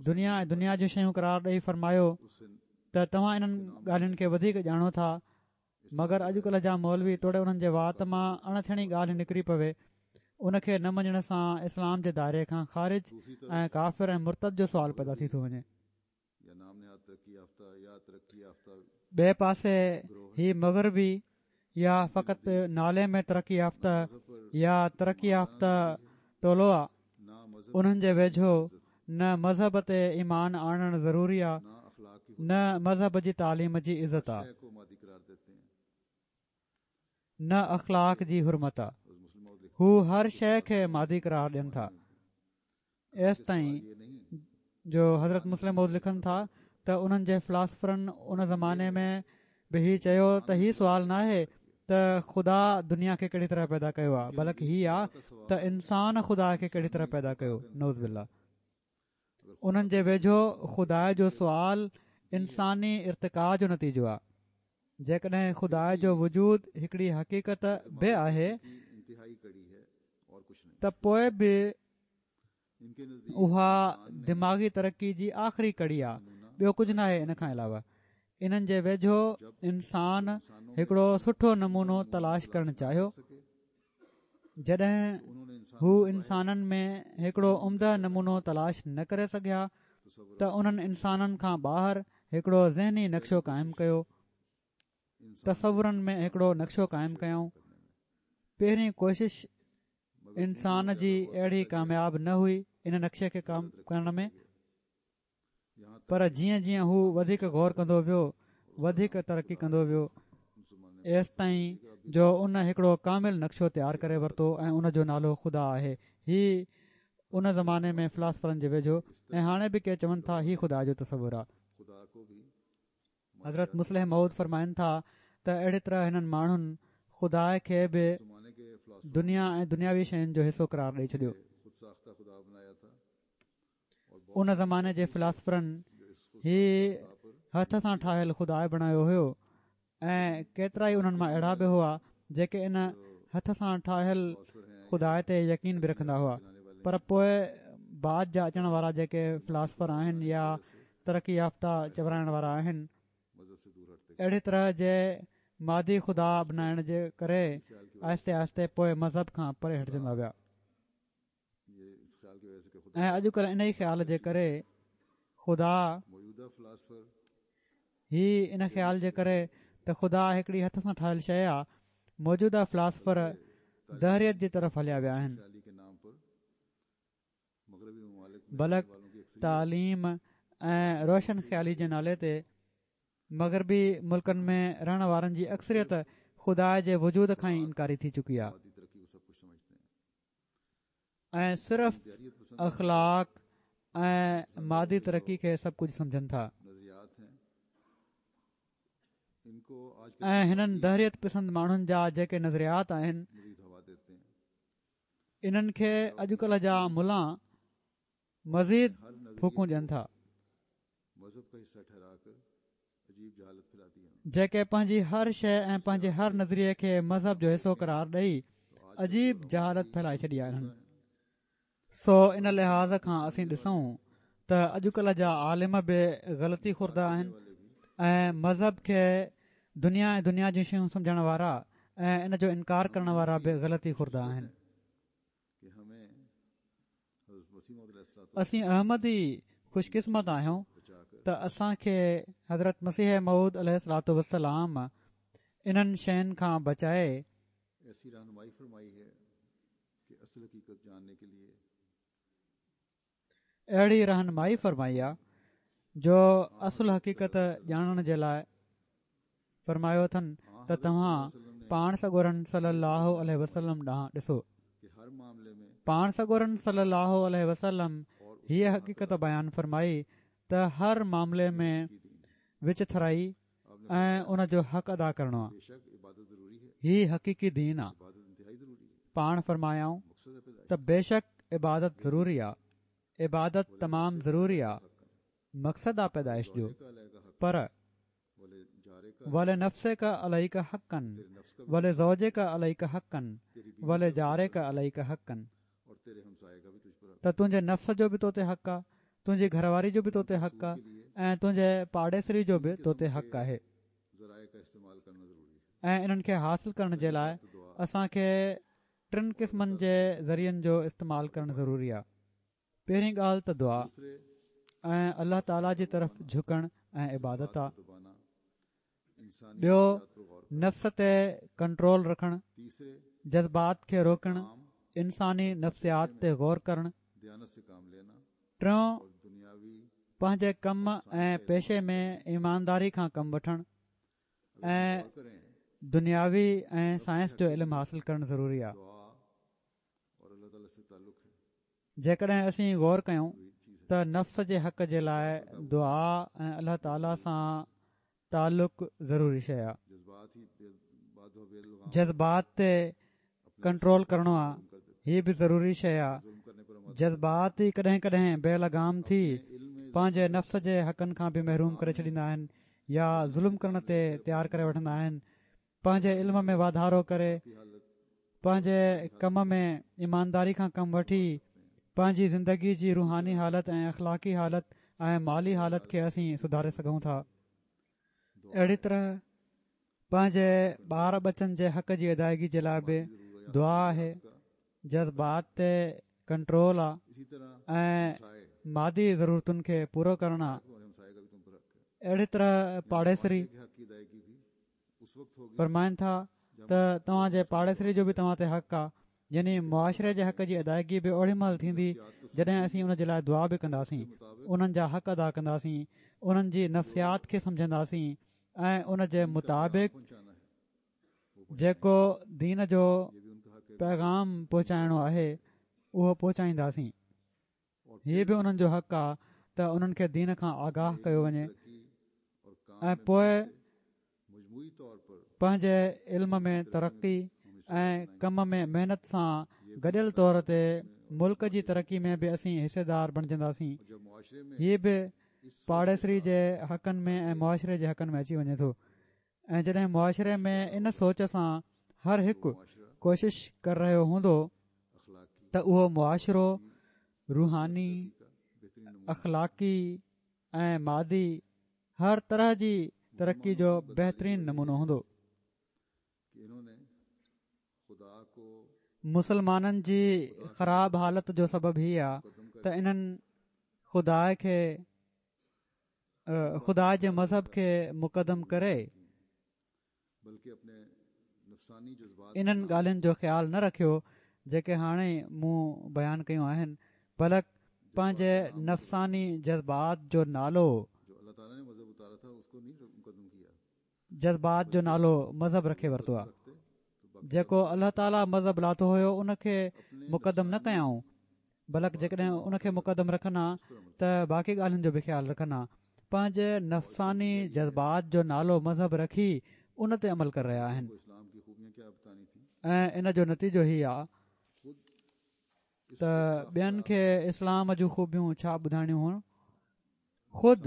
دنيا ۽ دنيا جون شيون قرار ڏئي فرمايو ته توهان انهن ڳالهين کي وڌيڪ ڄاڻو ٿا، مگر اڄڪلهه جا مولوي توڙي انهن جي وات مان اڻ ٿيڻي ڳالهه نڪري پوي ان کي نه مڃڻ سان اسلام جي دائري کان خارج ۽ ڪافر ۽ مرتد جو سوال پيدا ٿي ٿو وڃي. ٻئي پاسي هي مغربي يا فقط نالي ۾ ترقي يافته يا ترقي يافته ٽولو آ، انهن جي ويجهو نه مذهب تي ايمان آڻڻ ضروري آ نه مذهب جي تعليم جي عزت آ، نه اخلاق جي حرمت آ. هو هر شيءِ کي مادي قرار ڏين ٿا. ايستائين جو حضرت مصلح موعود لکن ٿا ته انهن جي فلاسفرن ان زماني ۾ به هي چيو ته هي سوال ناهي ته خدا دنيا کي ڪهڙي طرح پيدا ڪيو آهي، بلڪ هي آ ته انسان خدا کي ڪهڙي طرح پيدا ڪيو. نعوذ بالله. انهن جي ويجهو خدا جو سوال انساني ارتقاء جو نتيجو آهي. جيڪڏهن خدا جو وجود هڪڙي حقيقت به آهي ته پوءِ به اها دماغي ترقي جي آخري ڪڙي آهي، ٻيو ڪجهه ناهي. ان کان علاوه انهن جي ويجهو انسان هڪڙو سٺو نمونو تلاش ڪرڻ چاهيو. جڏهن هو انسانن ۾ هڪڙو عمده نمونو تلاش نه ڪري سگهيا ته انهن انسانن کان ٻاهر هڪڙو ذهني نقشو قائم ڪيو، تصورن ۾ هڪڙو نقشو قائم ڪيائون. پهرين ڪوشش انسان جي اهڙي ڪامياب نه هئي ان نقشي کي قائم ڪرڻ ۾، پر جيئن جيئن هو وڌيڪ غور ڪندو ويو وڌيڪ ترقي ڪندو ويو، ايستائين جو ان هڪڙو ڪامل نقشو تيار ڪري ورتو ۽ ان جو نالو خدا آهي. هي ان زماني ۾ فلاسفرن جي ويجهو ۽ هاڻي به ڪي چون ٿا هي خدا جو تصور آهي. حضرت مصلح موعود فرمائن ٿا ته اهڙي طرح هنن ماڻهن خدا کي به دنيا ۽ دنياوي شين جو حصو قرار ڏئي ڇڏيو. ان زماني جي فلاسفرن هي هٿ سان ٺاهيل خدا بڻايو هيو ۽ ڪيترا ئي انهن مان اهڙا به هئا جيڪي ان هٿ سان ٺاهيل خدا تي يقين به رکندا هئا. پر پوءِ بعد جا اچڻ وارا جيڪي فلاسفر آهن يا ترقي يافته چورائڻ وارا آهن، اهڙي طرح جي مادي خدا بنائڻ جي ڪري آهستي آهستي پوءِ مذهب کان پري هٽجندا ويا ۽ اڄڪلهه ان ئي خيال جي ڪري خدا هي ان خيال جي ڪري ته خدا هڪڙي هٿ سان ٺاهيل شيءِ آهي، موجوده فلاسفر دهريت جي طرف هليا ويا آهن. بلڪ تعليم ۽ روشن خيالي جي نالي تي مغربي ملڪن ۾ رهڻ وارن جي اڪثريت خدا جي وجود کان ئي انڪاري ٿي چڪي آهي ۽ صرف اخلاق ۽ مادي ترقي کي سڀ ڪجهه سمجهن ٿا. ۽ هنن دهريت پسند ماڻهن جا جيڪي نظريات آهن انهن کي اڄڪلهه جا ملا مزيد ڦوڪون ڏين ٿا، جيڪي پنهنجي هر شيءِ ۽ پنهنجي هر نظريي کي مذهب جو حصو قرار ڏئي عجيب جهالت ڦهلائي ڇڏي آهي انهن. سو ان لحاظ کان اسين ڏسون ته اڄڪلهه جا عالم به غلطي خورده آهن ۽ مذهب کي دنيا ۽ دنيا جون شيون سمجهڻ وارا ۽ ان جو انڪار ڪرڻ وارا به غلطي خورده آهن. اسين احمدي خوش قسمت آهيون ته اسان کي حضرت مسيح موعود عليه الصلوة والسلام انهن شين کان بچائي اهڙي رهنمائي فرمائي آ جو اصل حقيقت ڄاڻڻ جي لاءِ فرمايو اٿن ته توهان پاڻ سڳورن صلي الله عليه وسلم ڏانهن ڏسو. پاڻ سڳورن صلي الله عليه وسلم هيء حقيقت بيان فرمائي ته هر معاملي ۾ وچٿرائي ۽ ان جو حق ادا ڪرڻو آهي. هي حقيقي دين آهي. پاڻ فرمايائون ته بيشڪ عبادت ضروري آهي، عبادت تمام ضروري آهي، مقصد آهي پيدائش جو، پر ولنفسک عليک حقا ولزوجک عليک حقا ولجارک عليک حقا، ته تنهنجي نفس جو به تو تي حق آهي، تنهنجي گهر واري جو به تو تي حق آهي ۽ تنهنجي پاڙيسري جو به تو تي حق آهي. ۽ انهن کي حاصل ڪرڻ جي لاء اسان کي ٽن قسمن جي ذريعن جو استعمال ڪرڻ ضروري آهي. پهرين ڳالهه ته دعا ۽ الله تعاليٰ جي طرف جهڪڻ ۽ عبادت آهي. ٻيو نفس تي ڪنٽرول رکڻ، جذبات کي روڪڻ، انساني نفسيات تي غور ڪرڻ. ٽيون پنهنجي ڪم ۽ پيشي ۾ ايمانداري کان ڪم وٺڻ ۽ دنياوي ۽ سائنس جو علم حاصل ڪرڻ ضروري آهي. جيڪڏهن اسين غور ڪيون ته نفس جي حق جي لاء دعا ۽ الله تعاليٰ سان تعلق ضروري شيء آهي. جذبات تي ڪنٽرول ڪرڻو آهي، هي به ضروري شيء آهي. جذبات ئي ڪڏهن ڪڏهن بي لگام ٿي پنهنجي نفس جي حقن کان به محروم ڪري ڇڏيندا آهن يا ظلم ڪرڻ تي تيار ڪري وٺندا آهن. پنهنجي علم ۾ واڌارو ڪري، پنهنجي ڪم ۾ ايمانداري کان ڪم وٺي، پنهنجي زندگي جي روحاني حالت ۽ اخلاقي حالت ۽ مالي حالت کي اسين سڌاري سگهون ٿا. اهڙي طرح پنهنجي ٻار ٻچن جي حق جي ادائگي جي لاءِ به دعا آهي، جذبات تي ڪنٽرول آهي ۽ مادي ضرورتن کي پورو ڪرڻ آهي. اهڙي طرح پاڙيسري فرمائن ٿا ته توهان جي پاڙيسري جو به توهان تي حق آهي، يعني معاشري جي حق جي ادائگي به اوڏي مهل ٿيندي جڏهن اسين ان جي لاءِ دعا به ڪنداسين، انهن جا حق ادا ڪنداسين، انهن جي نفسيات کي سمجهنداسين ۽ ان جي مطابق جيڪو دين جو پيغام پهچائڻو آهي اهو پهچائينداسين. هي به انهن جو حق آهي ته انهن کي دين کان آگاهه ڪيو وڃي ۽ پوءِ پنهنجي علم ۾ ترقي ۽ ڪم ۾ محنت سان گڏيل طور تي ملڪ جي ترقي ۾ به اسين حصيدار بڻجنداسين. هي به پاڙيسري جي حقن ۾ ۽ معاشري جي حقن ۾ اچي وڃي ٿو. ۽ جڏهن معاشري ۾ ان سوچ سان هر هڪ ڪوشش ڪري رهيو هوندو ته اهو معاشرو روحاني، اخلاقي ۽ مادي هر طرح جي ترقي جو بهترين نمونو هوندو. مسلمانن جي خراب حالت جو سبب هي آهي ته انهن خدا کي خدا جي مذهب کي مقدم ڪري انهن ڳالهين جو خيال نه رکيو جيڪي هاڻي مون بيان ڪيون آهن، بلڪ پنهنجي نفساني جذبات جو نالو جذبات جو نالو مذهب رکي ورتو آهي. جيڪو الله تعاليٰ مذهب لاٿو هيو ان کي مقدم نه ڪيائون، بلڪ جيڪڏهن ان کي مقدم رکن ها ته باقي ڳالهين جو به خيال رکن ها. پنهنجي نفساني جذبات جو نالو مذهب رکي ان تي عمل ڪري رهيا آهن ۽ ان جو نتيجو هي آهي ته ٻين کي اسلام جون خوبيون ڇا ٻڌائڻيون هيون، خود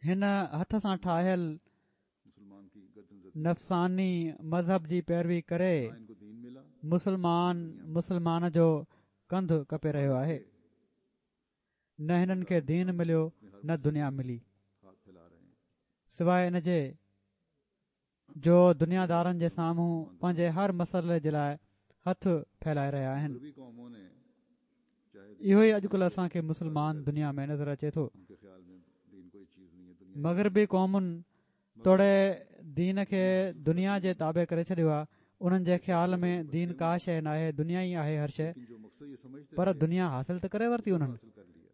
هن هٿ سان ٺاهيل نفساني مذهب جي پيروي ڪري مسلمان مسلمان جو ڪنڌ ڪپي رهيو آهي. نه هنن کي دين مليو نه دنيا ملي، سواءِ ان جي جو دنيا دارن جي سامهون پنهنجي هر مسئلي جي لاءِ هٿ ڦهلائي رهيا آهن. اهو ئي اڄڪلهه اسان کي مسلمان دنيا ۾ نظر اچي ٿو. مغربي قومن توڙي دين کي دنيا جي تابع ڪري ڇڏيو آهي. انهن جي خيال ۾ دين ڪا شيءِ ناهي، دنيا ئي آهي هر شيءِ، پر دنيا حاصل ته ڪري ورتي انهن.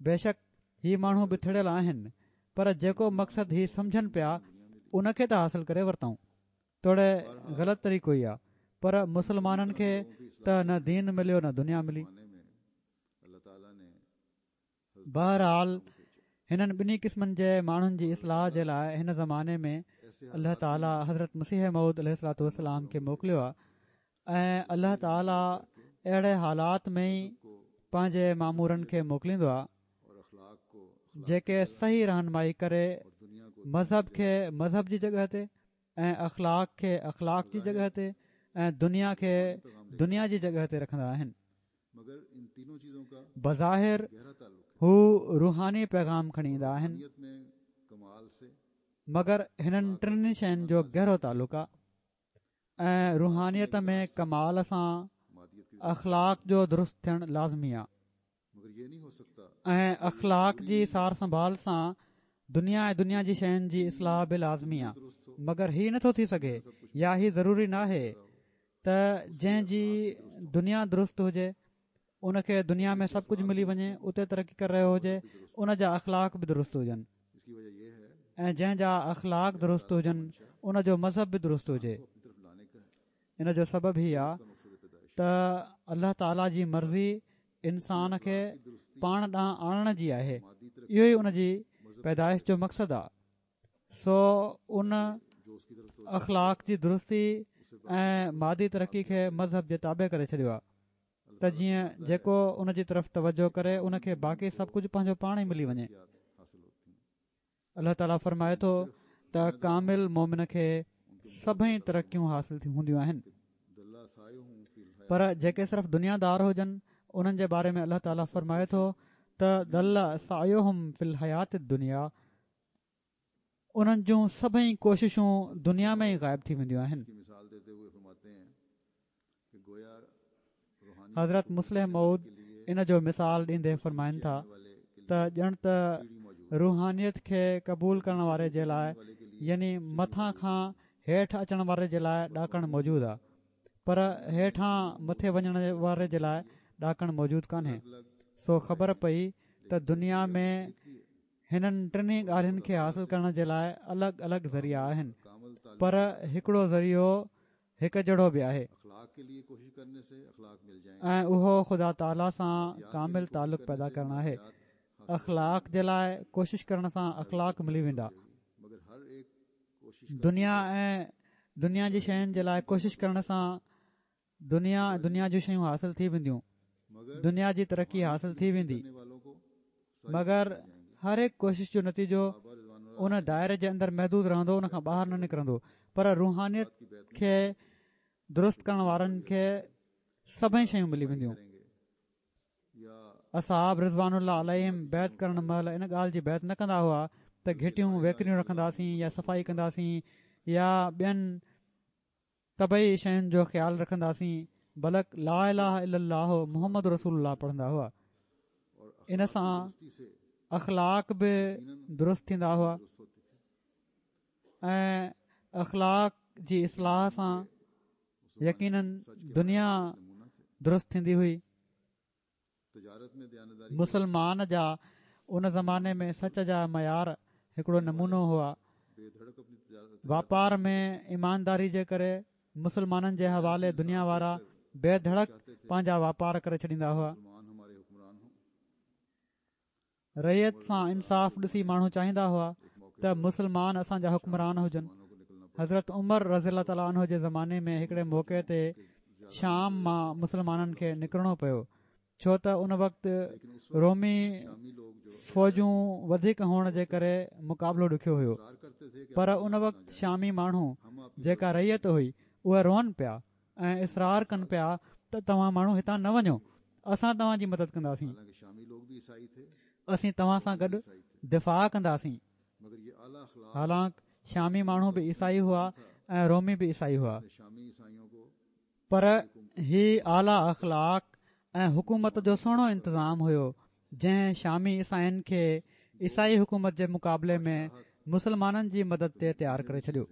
بيشڪ هي ماڻهو به ٿڙيل آهن، پر جيڪو مقصد هي سمجهن پيا ان کي ته حاصل ڪري ورتائون. توڙي غلط طريقو ئي آهي، پر مسلمانن کي ته نه دين مليو نه دنيا ملي. بهرحال هنن ٻنهي قسمن جي ماڻهن جي اصلاح جي لاءِ هن زماني ۾ الله تعاليٰ حضرت مسيح موعود عليه الصلوة والسلام کي موڪليو آهي ۽ الله تعاليٰ اهڙي حالات ۾ ئي پنهنجي مامورن کي موڪليندو آهي جيڪي صحيح رهنمائي ڪري مذهب کي مذهب جي جڳهه تي ۽ اخلاق کي اخلاق جي جڳهه تي ۽ دنيا کي دنيا جي جڳهه تي رکندا آهن. بظاهر هو روحاني پيغام کڻي ايندا آهن، مگر هنن ٽنهي شين جو گهرو تعلق آهي ۽ روحانيت ۾ ڪمال سان اخلاق جو درست ٿيڻ لازمي آهي ۽ اخلاق جي سار سنڀال سان دنيا ۽ دنيا جي شين جي اصلاح به لازمي آهي. مگر هي نٿو ٿي سگهي يا هي ضروري ناهي ته جنهن جي دنيا درست هجي ان کي دنيا ۾ سڀ ڪجهه ملي وڃي، اتي ترقي ڪري رهيو هجي، ان جا اخلاق به درست هجن ۽ جنهن جا اخلاق درست هجن ان جو مذهب به درست هجي. ان جو سبب هي آهي ته الله تعاليٰ جي مرضي انسان کي پاڻ ڏانهن آڻڻ جي آهي، اهو ئي ان جي پيدائش جو مقصد آهي. سو ان اخلاق جي درستي ۽ مادي ترقي کي مذهب جي تابع ڪري ڇڏيو آهي ته جيئن جيڪو ان جي طرف توجه ڪري ان کي باقي سڀ ڪجهه پنهنجو پاڻ ئي ملي وڃي. الله تعاليٰ فرمائي ٿو ته ڪامل مومن کي سڀئي ترقيون حاصل هونديون آهن، پر جيڪي صرف دنيا دار هجن انهن جي باري ۾ الله تعاليٰ فرمائي ٿو ته ضل سعيهم في الحياة الدنيا، انهن جون سڀئي ڪوششون دنيا ۾ ئي غائب ٿي وينديون آهن. حضرت مصلح موعود ان جو مثال ڏيندي فرمائن ٿا ته ڄڻ ته روحانيت کي قبول ڪرڻ واري جي لاءِ يعني مٿان کان هيٺ اچڻ واري جي لاءِ ڏاڪڻ موجود آهي، پر هيٺان مٿي وڃڻ واري جي لاءِ ڏاڪڻ موجود ڪانهي. سو خبر پئي ته دنيا ۾ هنن ٽنهي ڳالهين کي حاصل ڪرڻ جي لاءِ الڳ الڳ ذريعا آهن، پر هڪڙو ذريعو هڪ جهڙو به آهي ۽ اهو خدا تعاليٰ سان ڪامل تعلق پيدا ڪرڻ آهي. اخلاق جي لاءِ ڪوشش ڪرڻ سان اخلاق ملي ويندا. دنيا ۽ دنيا جي شين جي لاءِ ڪوشش ڪرڻ سان دنيا ۽ دنيا جون شيون حاصل ٿي وينديون، دنيا جي ترقي حاصل ٿي ويندي، مگر هر هڪ ڪوشش جو نتيجو ان دائري جي اندر محدود رهندو، ان کان ٻاهر نه نڪرندو. پر روحانيت کي درست ڪرڻ وارن کي سڀئي شيون ملي وينديون. اصحاب رضوان الله عليهم بيعت ڪرڻ مهل ان ڳالهه جي بيعت نه ڪندا هئا ته گهٽيون ويڪريون رکنداسين يا صفائي ڪنداسين يا ٻين طبعي شين جو خيال رکنداسين، بلڪ لا اله الا الله محمد رسول الله پڙهندا هئا. ان سان اخلاق به درست ٿيندا هئا ۽ اخلاق جي اصلاح سان يقينن دنيا درست ٿيندي هئي. مسلمان جا ان زماني ۾ سچ جا معيار هڪڙو نمونو هئا. واپار ۾ ايمانداري جي ڪري مسلمانن جي حوالي دنيا وارا بي ڌڙڪ پنهنجا واپار ڪري ڇڏيندا هئا. رعيت سان انصاف ڏسي ماڻهو چاهيندا هئا ته مسلمان اسان جا حڪمران هجن. حضرت عمر رضي الله تعاليٰ عنه جي زماني ۾ هڪڙي موقعي تي شام مان مسلمانن کي نڪرڻو پيو، ڇو ته ان وقت رومي فوجون وڌيڪ هئڻ جي ڪري مقابلو ڏکيو هيو. پر ان وقت شامي ماڻهو جيڪا رعيت هئي اهي روئن پيا ۽ اصرار ڪن پيا ته توهان ماڻهو هتان نه وڃو، اسان توهان جي مدد ڪنداسين، اسين توهان سان گڏ دفاع ڪنداسين. حالانڪ شامي ماڻهو به عيسائي هئا ۽ رومي به عيسائي هئا، پر هي اعليٰ اخلاق ۽ حڪومت جو سهڻو انتظام هيو جنهن شامي عيسائين کي عيسائي حڪومت جي مقابلي ۾ مسلمانن جي مدد تي تيار ڪري ڇڏيو.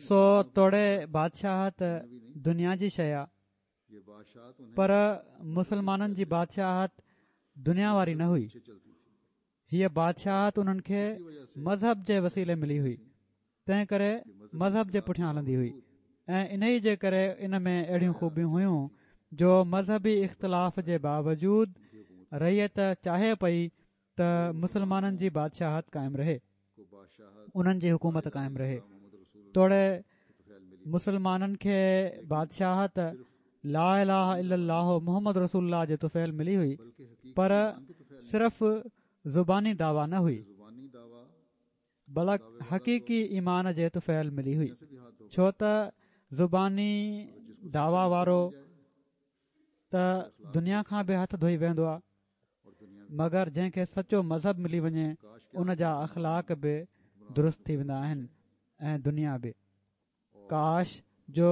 سو توڙي بادشاهت دنيا جي شيءِ آ، پر مسلمانن جي بادشاهت دنيا واري نه هئي. هيءَ بادشاهت انهن کي مذهب جي وسيلي ملي هئي. تنهن ڪري مذهب جي پٺيان هلندي هئي ۽ انهي جي ڪري ان ۾ اهڙيون خوبيون هيون جو مذهبي اختلاف جي باوجود رعيت چاهي پئي ته مسلمانن جي بادشاهت قائم رهي، انهن جي حڪومت قائم رهي. توڙي مسلمانن کي بادشاهت لا اله الا الله محمد رسول الله جي طفيل ملي هئي، پر صرف زباني دعويٰ نه هئي، بلڪ حقيقي ايمان جي طفيل ملي هئي. ڇو ته زباني دعويٰ وارو ته دنيا کان به هٿ ڌوئي ويهندو آهي، مگر جنهن کي سچو مذهب ملي وڃي ان جا اخلاق به درست ٿي ويندا آهن ۽ دنيا به. ڪاش جو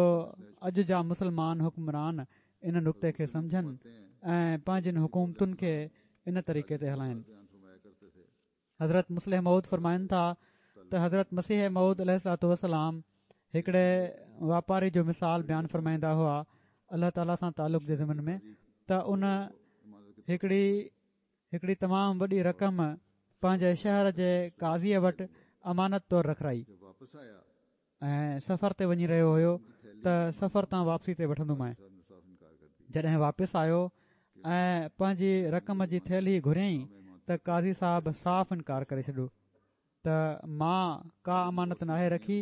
اڄ جا مسلمان حڪمران ان نقطي کي سمجهن ۽ پنهنجين حڪومتن کي ان طريقي تي هلائن. حضرت مصلح موعود فرمائن ٿا ته حضرت مسيح موعود عليه الصلوة والسلام هڪڙي واپاري جو مثال بيان فرمائيندا هئا الله تعاليٰ سان تعلق جي ضمن ۾ ته ان هڪڙي هڪڙي تمام وڏي رقم پنهنجي شهر جي قاضيء وٽ امانت طور رکرائي ۽ سفر تي وڃي رهيو هيو ته سفر تان واپسي تي وٺندومانء. جڏهن واپس آيو ۽ پنهنجي رقم جي ٿيلهي گهريائين ته قاضي صاحب صاف انڪار ڪري ڇڏيو ته مان ڪا امانت ناهي رکي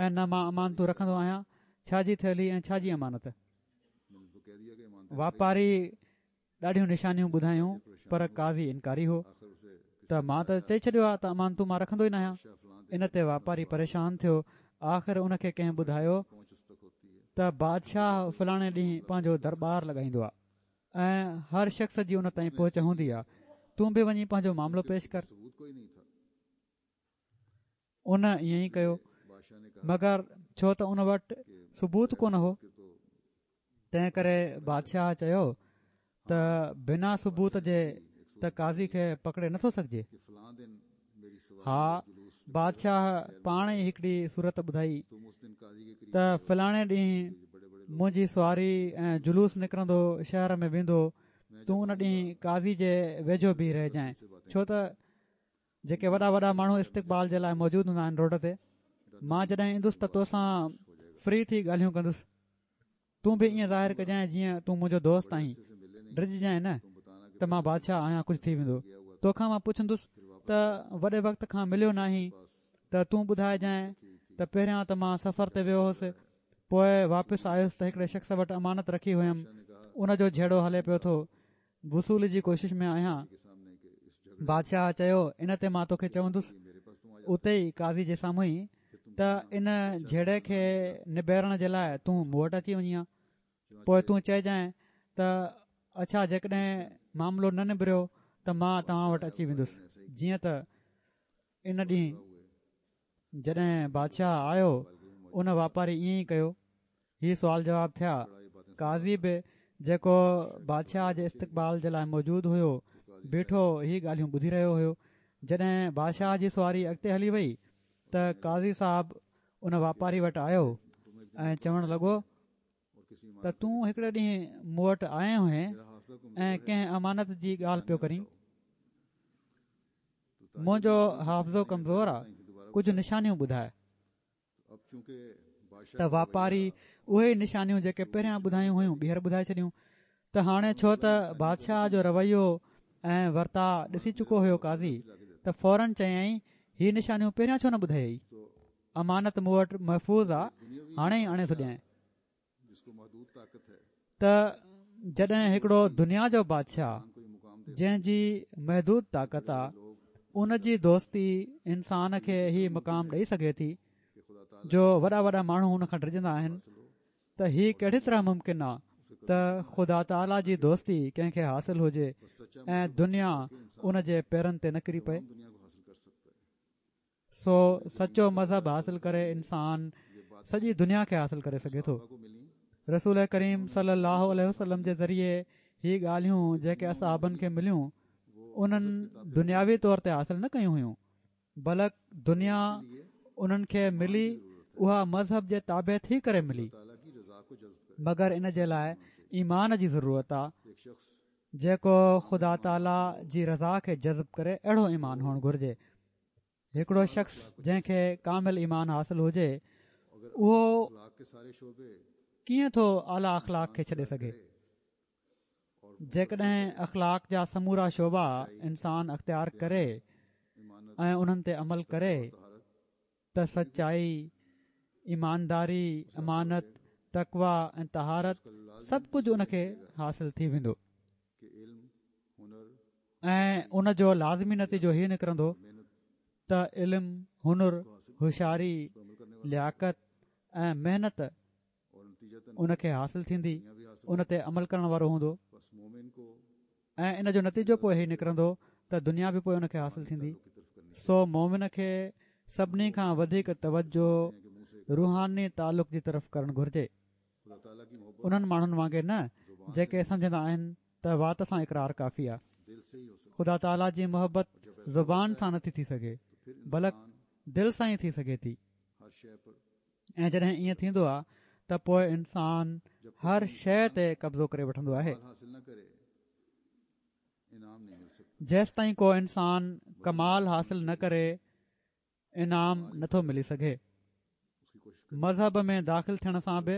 ۽ نه مان امانتون رکندو آهيان، ڇا جي ٿيلهي ۽ ڇا جي امانت؟ واپاري ڏاڍيون نشانيون ٻڌايون پر قاضي انڪاري هو ته مان ته چئي ڇڏيو آهي ته امانتون مان رکندو ئي ناهيان. ان تي واپاري پريشان ٿيو. آخر ان کي ڪنهن ٻڌايو ته بادشاهه فلاڻي ڏينهن پنهنجو درٻار لڳائيندو آهي ۽ هر شخص جي ان تائين پهچ هوندي آهي، تون به وڃي پنهنجو معاملو پيش ڪر. ان ائين ئي ڪيو، مگر ڇو ته ان وٽ ثبوت ڪونه هو، تنهن ڪري بادشاهه چيو ته بنا ثبوت جي ته قاضي کي پڪڙي نٿو سگهجي. ها، بادشاهه پاڻ ئي هڪڙي صورت ٻڌائي ته فلاڻي ڏينهن منهنجي سواري ۽ جلوس نڪرندو شهر ۾ ويندو، تون ان ڏينهن قاضي جي ويجهو بيهي رهجانء، ڇو ته جيڪي وڏا وڏا ماڻهو استقبال جي لاء موجود هوندا آهن روڊ تي، مان جڏهن ايندس ته توسان فري ٿي ڳالهيون ڪندس، تون به ائين ظاهر ڪجانء جيئن تون منهنجو دوست آهين، ڊڄجانء نه ته مان بادشاهه آهيان ڪجهه ٿي ويندو. توکان مان پڇندس ته وڏي وقت کان مليو ناهين ته تون ٻڌائجانء ته پهريان ته مان سفر تي ويو هوس، پوء واپس آيس ته هڪڙي شخص وٽ امانت رکي هيم، ان جو جهيڙو هلي پيو ٿو، وصولي جي ڪوشش ۾ آهيان. بادشاهه چيو ان تي مان توکي چوندس اتي ئي قاضي جي سامهون ئي ته ان جهيڙي کي نبيرڻ جي لاء تون مون وٽ اچي وڃين ها، پوء تون چئجانء ته اڇا جيڪڏهن معاملو نه نبريو ته مان توهان وٽ اچي ويندس. جيئن ته ان ڏينهن جڏهن بادشاهه آيو ان واپاري ائين ئي ڪيو. هي سوال جواب ٿيا. قاضي به جيڪو بادشاهه جي استقبال جي لاء موجود هيو بيٺو هي ڳالهيون ٻڌي رهيو هيو. جڏهن بادشاهه جي سواري اڳتي هلي وئي ته قاضي صاحب ان واپاري وٽ آيو ۽ چوڻ لڳو ته تون هڪڙي ڏينهن مون وٽ آيو هئين ۽ ڪنهن امانت جي ڳالهه پيو ڪرين، منهنجو حافظو ڪمزور آ، ڪجهه نشانيون ٻڌاء. ته واپاري اهي ئي نشانيون جيڪي پهريان ٻڌايون هيون ٻيهر ٻڌائي ڇڏيون. ته هاڻي ڇو ته بادشاهه جو رويو ۽ ورتاء ڏسي چڪو هيو قاضي، ته فورن چيائين هي نشانيون پهريان ڇو نه ٻڌايئي، امانت مون وٽ محفوظ آ، هاڻي ئي آڻي ٿو ڏيانء. ته جڏهن هڪڙو دنيا جو بادشاهه جنهن جي محدود طاقت آ، ان جي دوستي انسان کي هي مقام ڏئي سگهي ٿي جو وڏا وڏا ماڻهو هن کان ڊڄندا آهن، ته هي ڪهڙي طرح ممڪن آ ته خدا تعاليٰ جي دوستي ڪنهن کي حاصل هجي ۽ دنيا ان جي پيرن تي نه ڪري پئي. سو سچو مذهب حاصل ڪري انسان سڄي دنيا کي حاصل ڪري سگهي ٿو. رسول ڪريم صلي الله عليه وسلم جي ذريعي هي ڳالهيون جيڪي اصحابن کي مليون انهن دنياوي طور تي حاصل نه ڪيون هيون، بلڪ دنيا انهن کي ملي اها مذهب جي تابع ٿي ڪري ملي، مگر ان جي لاء ايمان جي ضرورت آ، جيڪو خدا تعاليٰ جي رضا کي جذب ڪري اهڙو ايمان هئڻ گهرجي. هڪڙو شخص جنهن کي ڪامل ايمان حاصل هجي اهو ڪيئن ٿو اعليٰ اخلاق کي ڇڏي سگهي؟ جيڪڏهن اخلاق جا سمورا شعبا انسان اختيار ڪري ۽ انهن تي عمل ڪري ته سچائي، ايمانداري، امانت، تقويٰ ۽ طهارت سڀ ڪجهه ان کي حاصل ٿي ويندو ۽ ان جو لازمي نتيجو هي نڪرندو ته علم، هنر، هوشياري، لياقت ۽ محنت ان کي حاصل ٿيندي، ان تي عمل ڪرڻ وارو هوندو ۽ ان جو نتيجو پوءِ هي نڪرندو ته دنيا به پوءِ ان کي حاصل ٿيندي. سو مومن کي سڀني کان وڌيڪ توجه روحاني تعلق جي طرف ڪرڻ گهرجي، انهن ماڻهن وانگي نه جيڪي سمجهندا آهن ته وات سان اقرار ڪافي آهي. خدا تعاليٰ جي محبت زبان سان نٿي ٿي سگهي بلڪ دل سان ئي ٿي سگهي ٿي، ۽ جڏهن ائين ٿيندو آهي ته پوءِ انسان هر شيءِ تي قبضو ڪري وٺندو آهي. جيستائين ڪو انسان ڪمال حاصل نه ڪري انعام نٿو ملي سگهي. مذهب ۾ داخل ٿيڻ سان به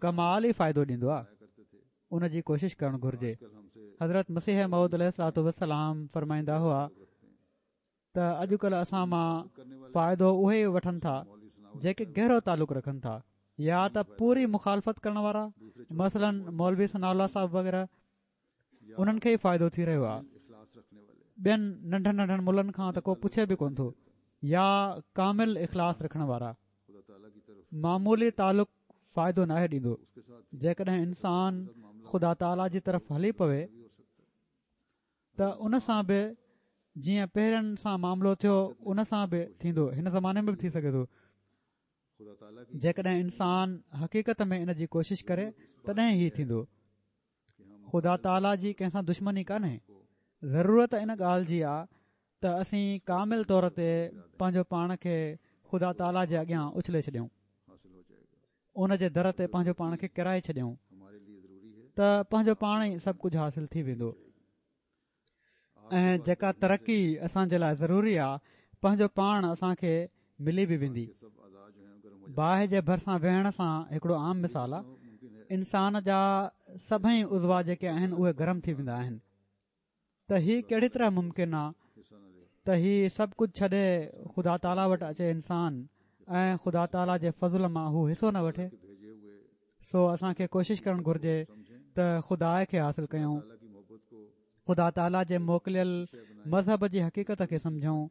ڪمال ئي فائدو ڏيندو آهي، ان جي ڪوشش ڪرڻ گهرجي. حضرت مسيح موعود عليه الصلوة والسلام فرمائيندا هئا ته اڄڪلهه اسان مان فائدو اهي ئي وٺن ٿا جيڪي گهرو تعلق رکن ٿا، يا ته پوري مخالفت ڪرڻ وارا مثلاً مولوي ثناء الله صاحب وغيره، انهن کي ئي فائدو ٿي رهيو آهي. ٻين ننڍن ننڍن ملن کان ته ڪو پڇي به ڪونه ٿو. يا ڪامل اخلاص رکڻ وارا، معمولي تعلق فائدو ناهي ڏيندو. جيڪڏهن انسان خدا تعاليٰ جي طرف هلي پوي ته ان سان به جيئن پهرين سان معاملو ٿيو ان سان به ٿيندو، هن زماني ۾ به ٿي سگهي ٿو. جيڪڏهن انسان حقيقت ۾ ان جي ڪوشش ڪري تڏهن هي ٿيندو. خدا تعاليٰ جي ڪنهن سان دشمني ڪانهي. ضرورت ان ڳالهه جي آهي ته اسين ڪامل طور تي پنهنجو پاڻ کي خدا تعاليٰ جي اڳيان اڇلي ڇڏيون، ان جي در تي پنهنجو پاڻ کي ڪرائي ڇڏيون ته پنهنجو پاڻ ئي سڀ ڪجهه حاصل ٿي ويندو. ۽ جيڪا ترقي اسان جي لاءِ ضروري آهي پنهنجو پاڻ اسان کي ملي به ويندي. باهه جي ڀرسان ويهڻ سان هڪڙو عام مثال آهي. انسان جا سڀئي عضوا جيڪي آهن اهي گرم ٿي ويندا آهن، ته هي ڪهڙي طرح ممڪن آهي ته هي سڀ ڪجهه ڇڏي خدا تعاليٰ وٽ اچي انسان ۽ خدا تعاليٰ جي فضل مان هو حصو نه وٺي؟ سو اسان کي ڪوشش ڪرڻ گهرجي ته خدا کي حاصل ڪيون، خدا تعاليٰ جي موڪليل مذهب جي حقيقت کي سمجهون،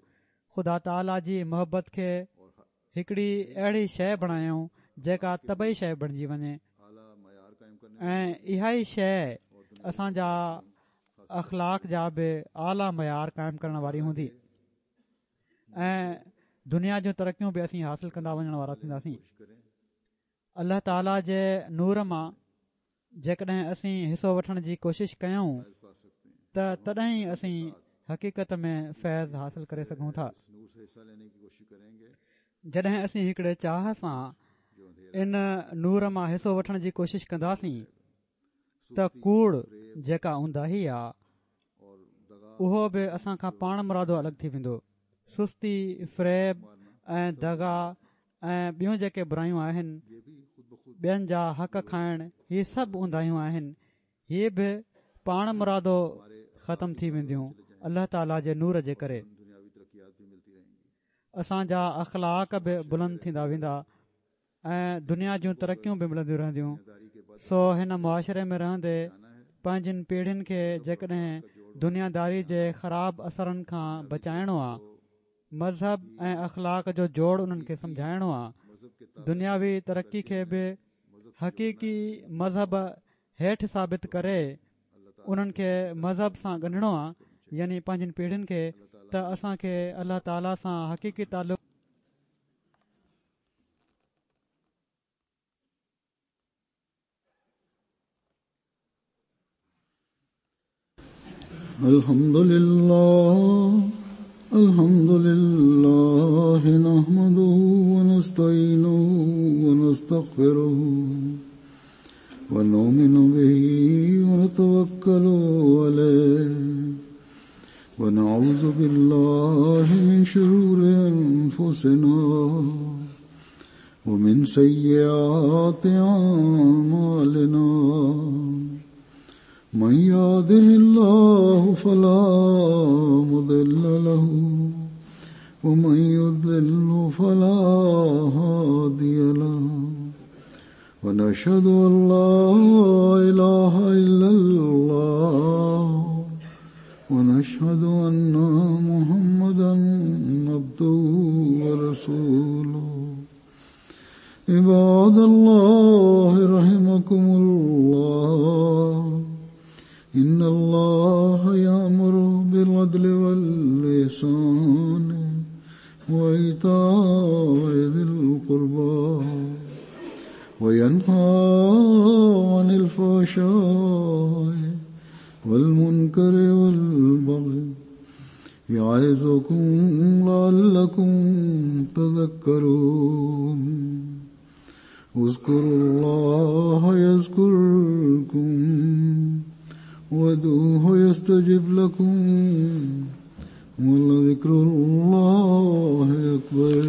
خدا تعاليٰ جي محبت کي هڪڙي اهڙي شيءِ بڻايون جيڪا طبعي شيءِ بڻجي وڃي، ۽ اها ئي شيءِ اسان جا اخلاق جا به اعليٰ معيار قائم ڪرڻ واري هوندي ۽ دنيا جون ترقيون به اسين حاصل ڪندا وڃڻ وارا ٿينداسين. الله تعاليٰ جي نور مان جيڪڏهن اسين حصو وٺڻ جي ڪوشش ڪيون ته تڏهن ئي اسين حقيقت ۾ فيض حاصل ڪري سگهون ٿا. جڏهن اسين هڪڙي چاهه سان ان نور مان حصو وٺڻ جي ڪوشش ڪنداسين ته ڪوڙ جيڪا اونداهي آهي اهو به اسان کان پاڻ مرادو الڳ ٿي ويندو. سستي، فريب ۽ دغا ۽ ٻيون جيڪي برايون آهن، ٻين جا حق کائڻ، هي سڀ اونداهيون آهن، هي به پاڻ مرادو ختم ٿي وينديون الله تعاليٰ جي نور جي ڪري. اسان جا اخلاق به بلند ٿيندا ويندا ۽ دنيا جون ترقيون به ملنديون رهنديون. سو هن معاشري ۾ رهندي پنهنجين پيڙهين کي جيڪڏهن دنياداري جي خراب اثرن کان بچائڻو آهي، مذهب ۽ اخلاق جو جوڙ انهن کي سمجهائڻو آهي، دنياوي ترقي کي به حقيقي مذهب هيٺ ثابت ڪري انهن کي مذهب سان ڳنڍڻو آهي، يعني پنهنجين پيڙهين کي، ته اسان کي الله تعاليٰ سان حقيقي تعلق الحمد لله الحمد لله نحمده ونستعينه ونستغفره ونؤمن به ونتوكل عليه ونعوذ بالله من شرور أنفسنا ومن سيئات أعمالنا من يهده الله فلا مضل له ومن يضلل فلا هادي له ونشهد أن لا إله إلا الله ونشهد أن محمدا عبده ورسوله. عباد الله رحمكم الله، إن الله يأمر بالعدل والإحسان وإيتاء ذي القربى وينهى عن الفحشاء والمنكر والبغي يعظكم لعلكم تذكرون. اذكروا الله يذكركم وادعوه يستجب لكم ولذكر الله أكبر.